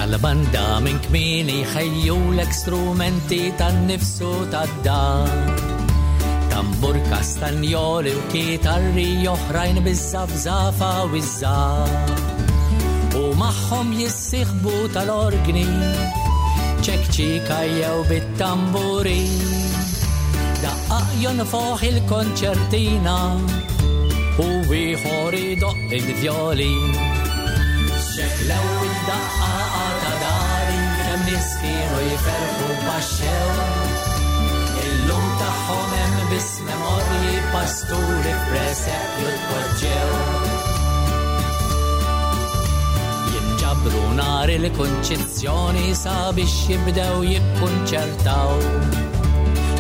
Tal-banda minn kmieni ħejjulek strumenti tan-nifsu tad-dar. Tambur, kastanjoli u kitarri oħrajn biż-żafżafa u ż-żgħar. U magħhom jissieħbu tal-orgni, ċekċika jew bit-tamburi. Daqqaq jonfoħ il-konċertina u ieħor idoqq il-vjolin. Xeklew id-daqqa ta' dari kemm nies kienu jferħu baxxew. Illum tagħhom hemm biss memorji pasturi f'presepju tpoġġew. Jinġabru nhar il-kunċizzjoni sabiex jibdew jikkunċertaw.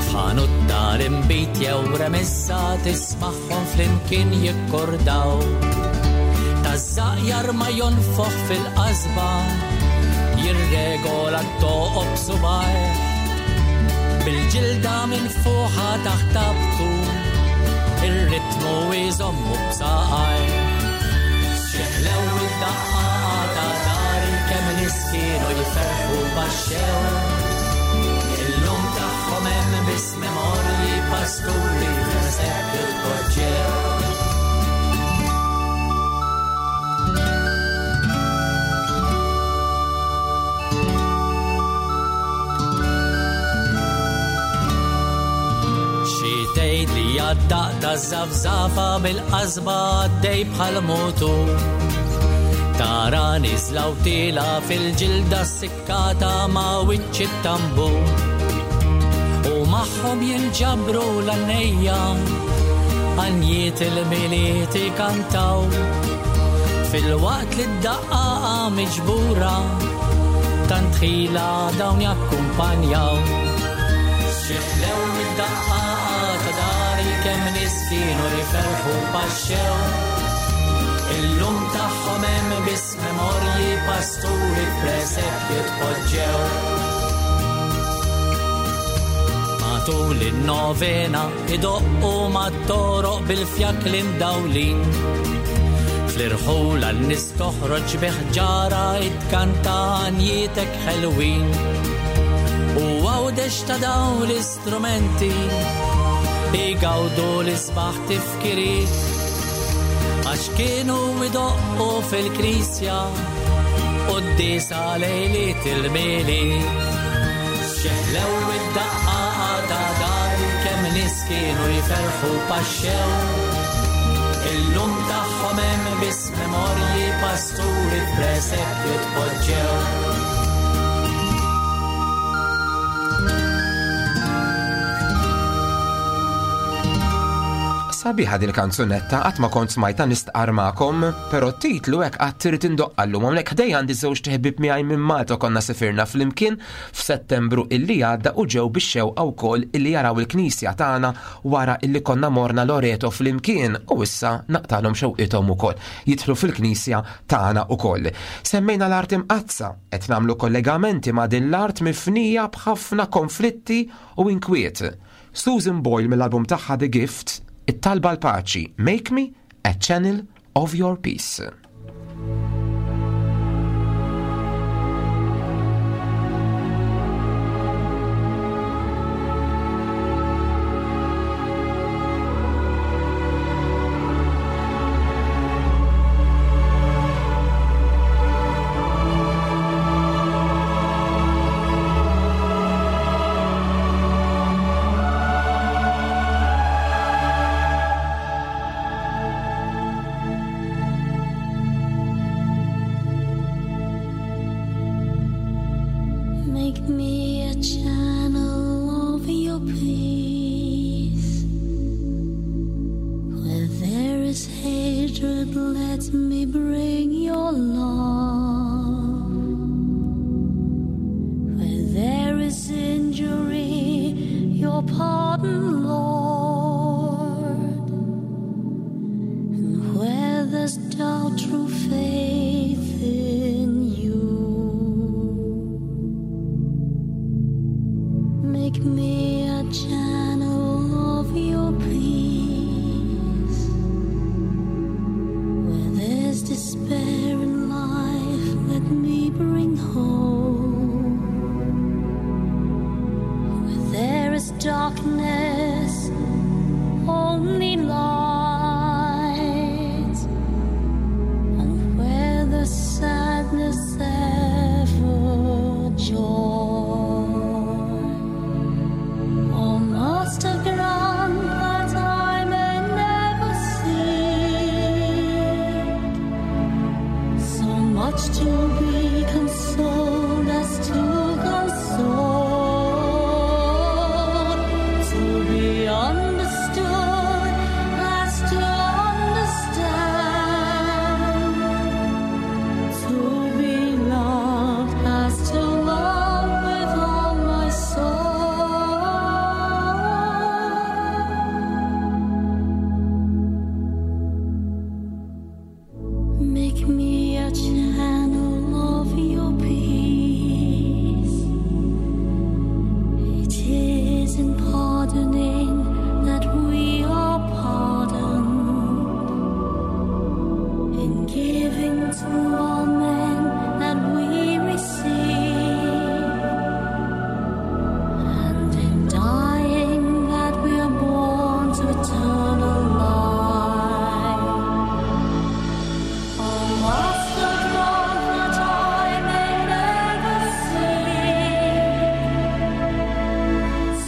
F'ħanut tal-inbid jew remissa tismagħhom flimkien jikkordaw. Taż-żaqjar ma jonfoħ fil-qasba, jirregola t-toqob subgħajh. Bil-ġilda minn fuqha taħt tabtu, ir-ritmu jżommu b'saqajh. Xeħlew id-daqqa ta' dari kemm nies kienu jferħu baxxew. Illum tagħhom hemm biss memorji pasturi f'presepju tpoġġew. Xi tgħid li għad-daqq taż-żafżafa bil-qasba għaddej bħal mutur. Tara niżla u tila fil-ġilda sikkata ma' wiċċ it-tambur. U magħhom jinġabru l-għannejja, għanjiet il-Milied ikantaw. Fil-waqt li d-daqqa miġbura, tant ħila dawn jakkumpanjaw. Xeħlew id-daqqa ta' dari kemm nies kienu jferħu paxxew. Illum tagħhom hemm biss memorji pasturi f'presepju tpoġġew. Matul in-novena idoqqu mat-toroq bil-fjakli mdawlin. Fl-irħula n-nies toħroġ bi ħġara itkanta għanjietek ħelwin. U Għawdex ta' dawn l-istrumenti igawdu l-isbaħ tifkiriet. Għax kienu idoqqu fil-knisja quddiesa lejliet il-Milied. Xeħlew id-daqqa ta' dari kemm nies kienu jferħu paxxew. Illum tagħhom hemm biss memorji pasturi f'presepju tpoġġew. Sabiħa din kanzunetta, qatt ma kont smajta nistqar magħkom, però t-titlu hekk qatt irid indoqqa llum. Hawnhekk ħdej għandi żewġ ħbieb miegħi minn Malta, konna sifirna flimkien f'Settembru illi għadda u ġew bix-xewqa wkoll illi jaraw il-knisja tagħna wara illi konna morna Loreto flimkien, u issa naqtalhom xewqithom ukoll jidħlu fil-knisja tagħna ukoll. Semmejna l-art imqaddsa, qed nagħmlu kollegamenti ma' din l-art mifnija b'ħafna konflitti u inkwiet. Susan Boyle mill-album tagħha The Gift, it-talba l-paċi, Make Me a Channel of Your Peace. Make me a channel of your peace. Where there is hatred, let me bring your love. Where there is injury, your pardon, Lord. And where there's doubt, true faith in you. Make me a channel of your peace. Where there's despair in life, let me bring hope. Where there is darkness, only light. And where there's sadness, ever joy. Oh, Master, grant that I may never seek so much to be consoled as to console, to be understood as to understand, to be loved as to love with all my soul. Make me a channel of your peace. It is in pardoning that we are pardoned, in giving to all men that we receive, and in dying that we are born to eternal life. Oh, Master, grant that I may never seek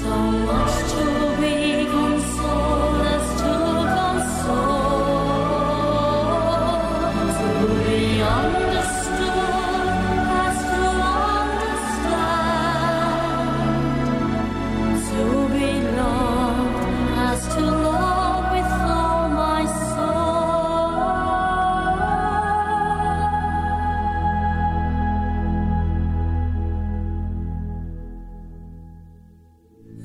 so much to be consoled as to console, to be understood as to understand, to be loved as to love with all my soul.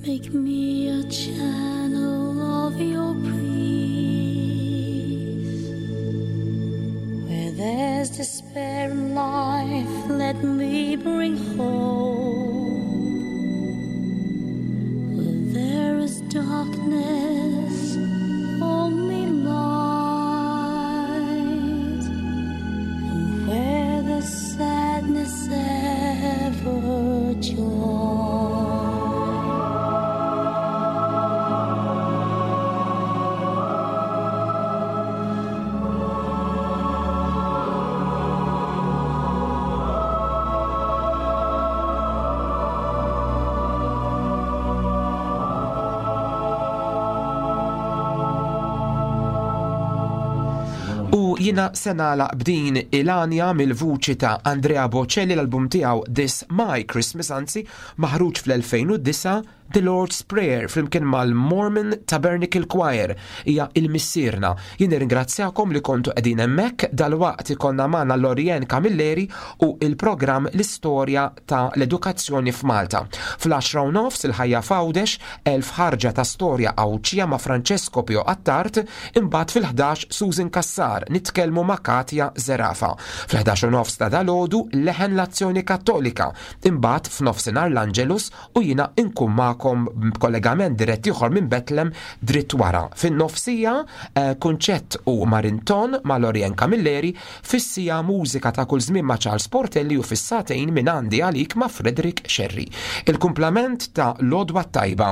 Make me a channel of your peace. Where there's despair in life, let me bring hope. Where there is darkness, only light. And where there's sadness, ever joy. U Jiena se nagħlaq b'din il-għanja mill-vuċi ta' Andrea Bocelli, l-album tiegħu This My Christmas, anzi, maħruġ fl-elfejn u disgħa, The Lord's Prayer flimkien mal-Mormon Tabernacle Choir, hija il-Missierna. Jien nirringrazzjakom li kontu qegħdin hemmhekk. Dalwaqt ikollna magħna Lorien Camilleri u il-programm L-Istorja ta' l-Edukazzjoni f'Malta. Fl-għaxra u nofs il-Ħajja f'Għawdex, elf ħarġa ta' storja Għawdxija ma' Francesco Pio Attard, imbagħad fil-ħdax Susan Cassar, nitkellmu ma' Katja Zerafa. Fl-ħdax u nofs ta' dalgħodu Leħen l-Azzjoni Kattolika, imbagħad f'nofsinhar l-Angelus u jiena inkun magħkom b'kollegament dirett ieħor minn Betlem dritt wara. Fin-nofsija eh, Kunċett u Marinton ma' Lorien Camilleri, fis-siegħa mużika ta' kull żmien ma' Charles Portelli u fis-sagħtejn minn għandi għalik ma' Frederick Scerri. Il-kumplament ta' l-għodwa t-tajba.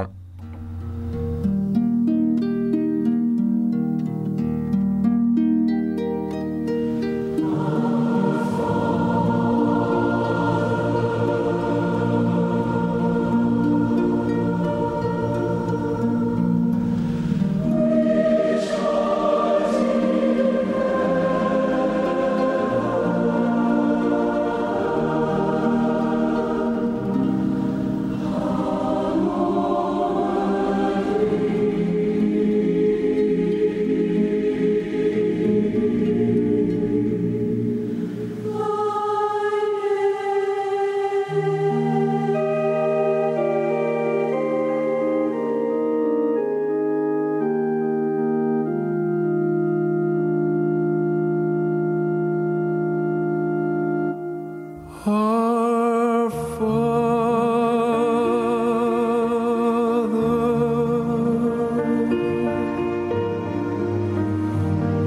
Our Father,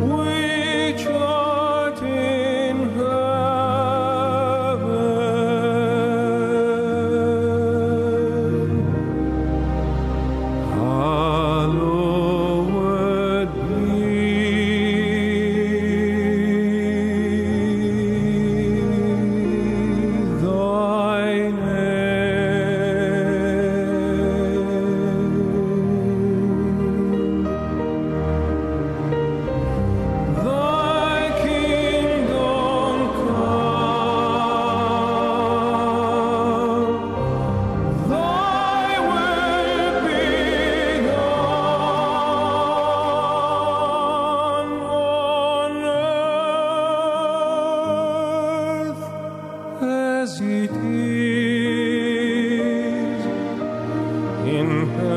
which art in heaven, hallowed be thy name. Thy kingdom come, thy will be done on earth as it is in heaven.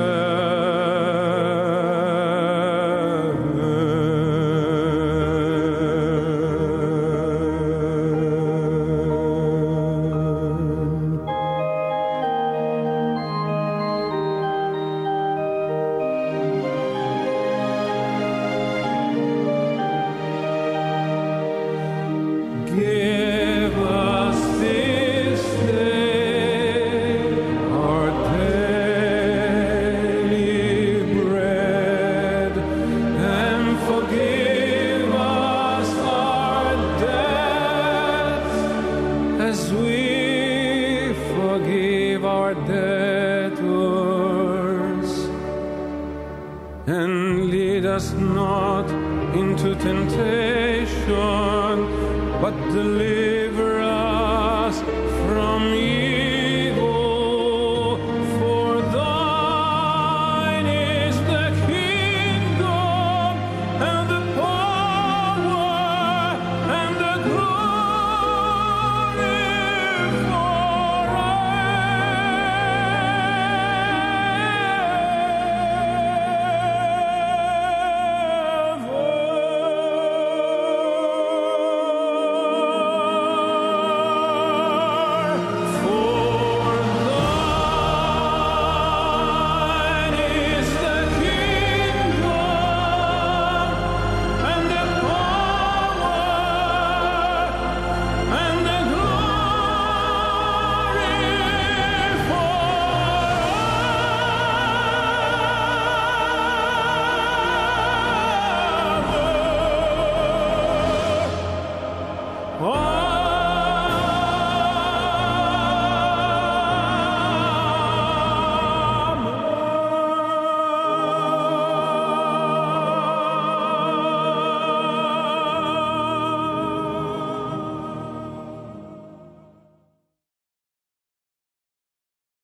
Give us this day our daily bread, and forgive us our debts as we forgive our debtors. And lead us not into temptation, but deliver us from evil.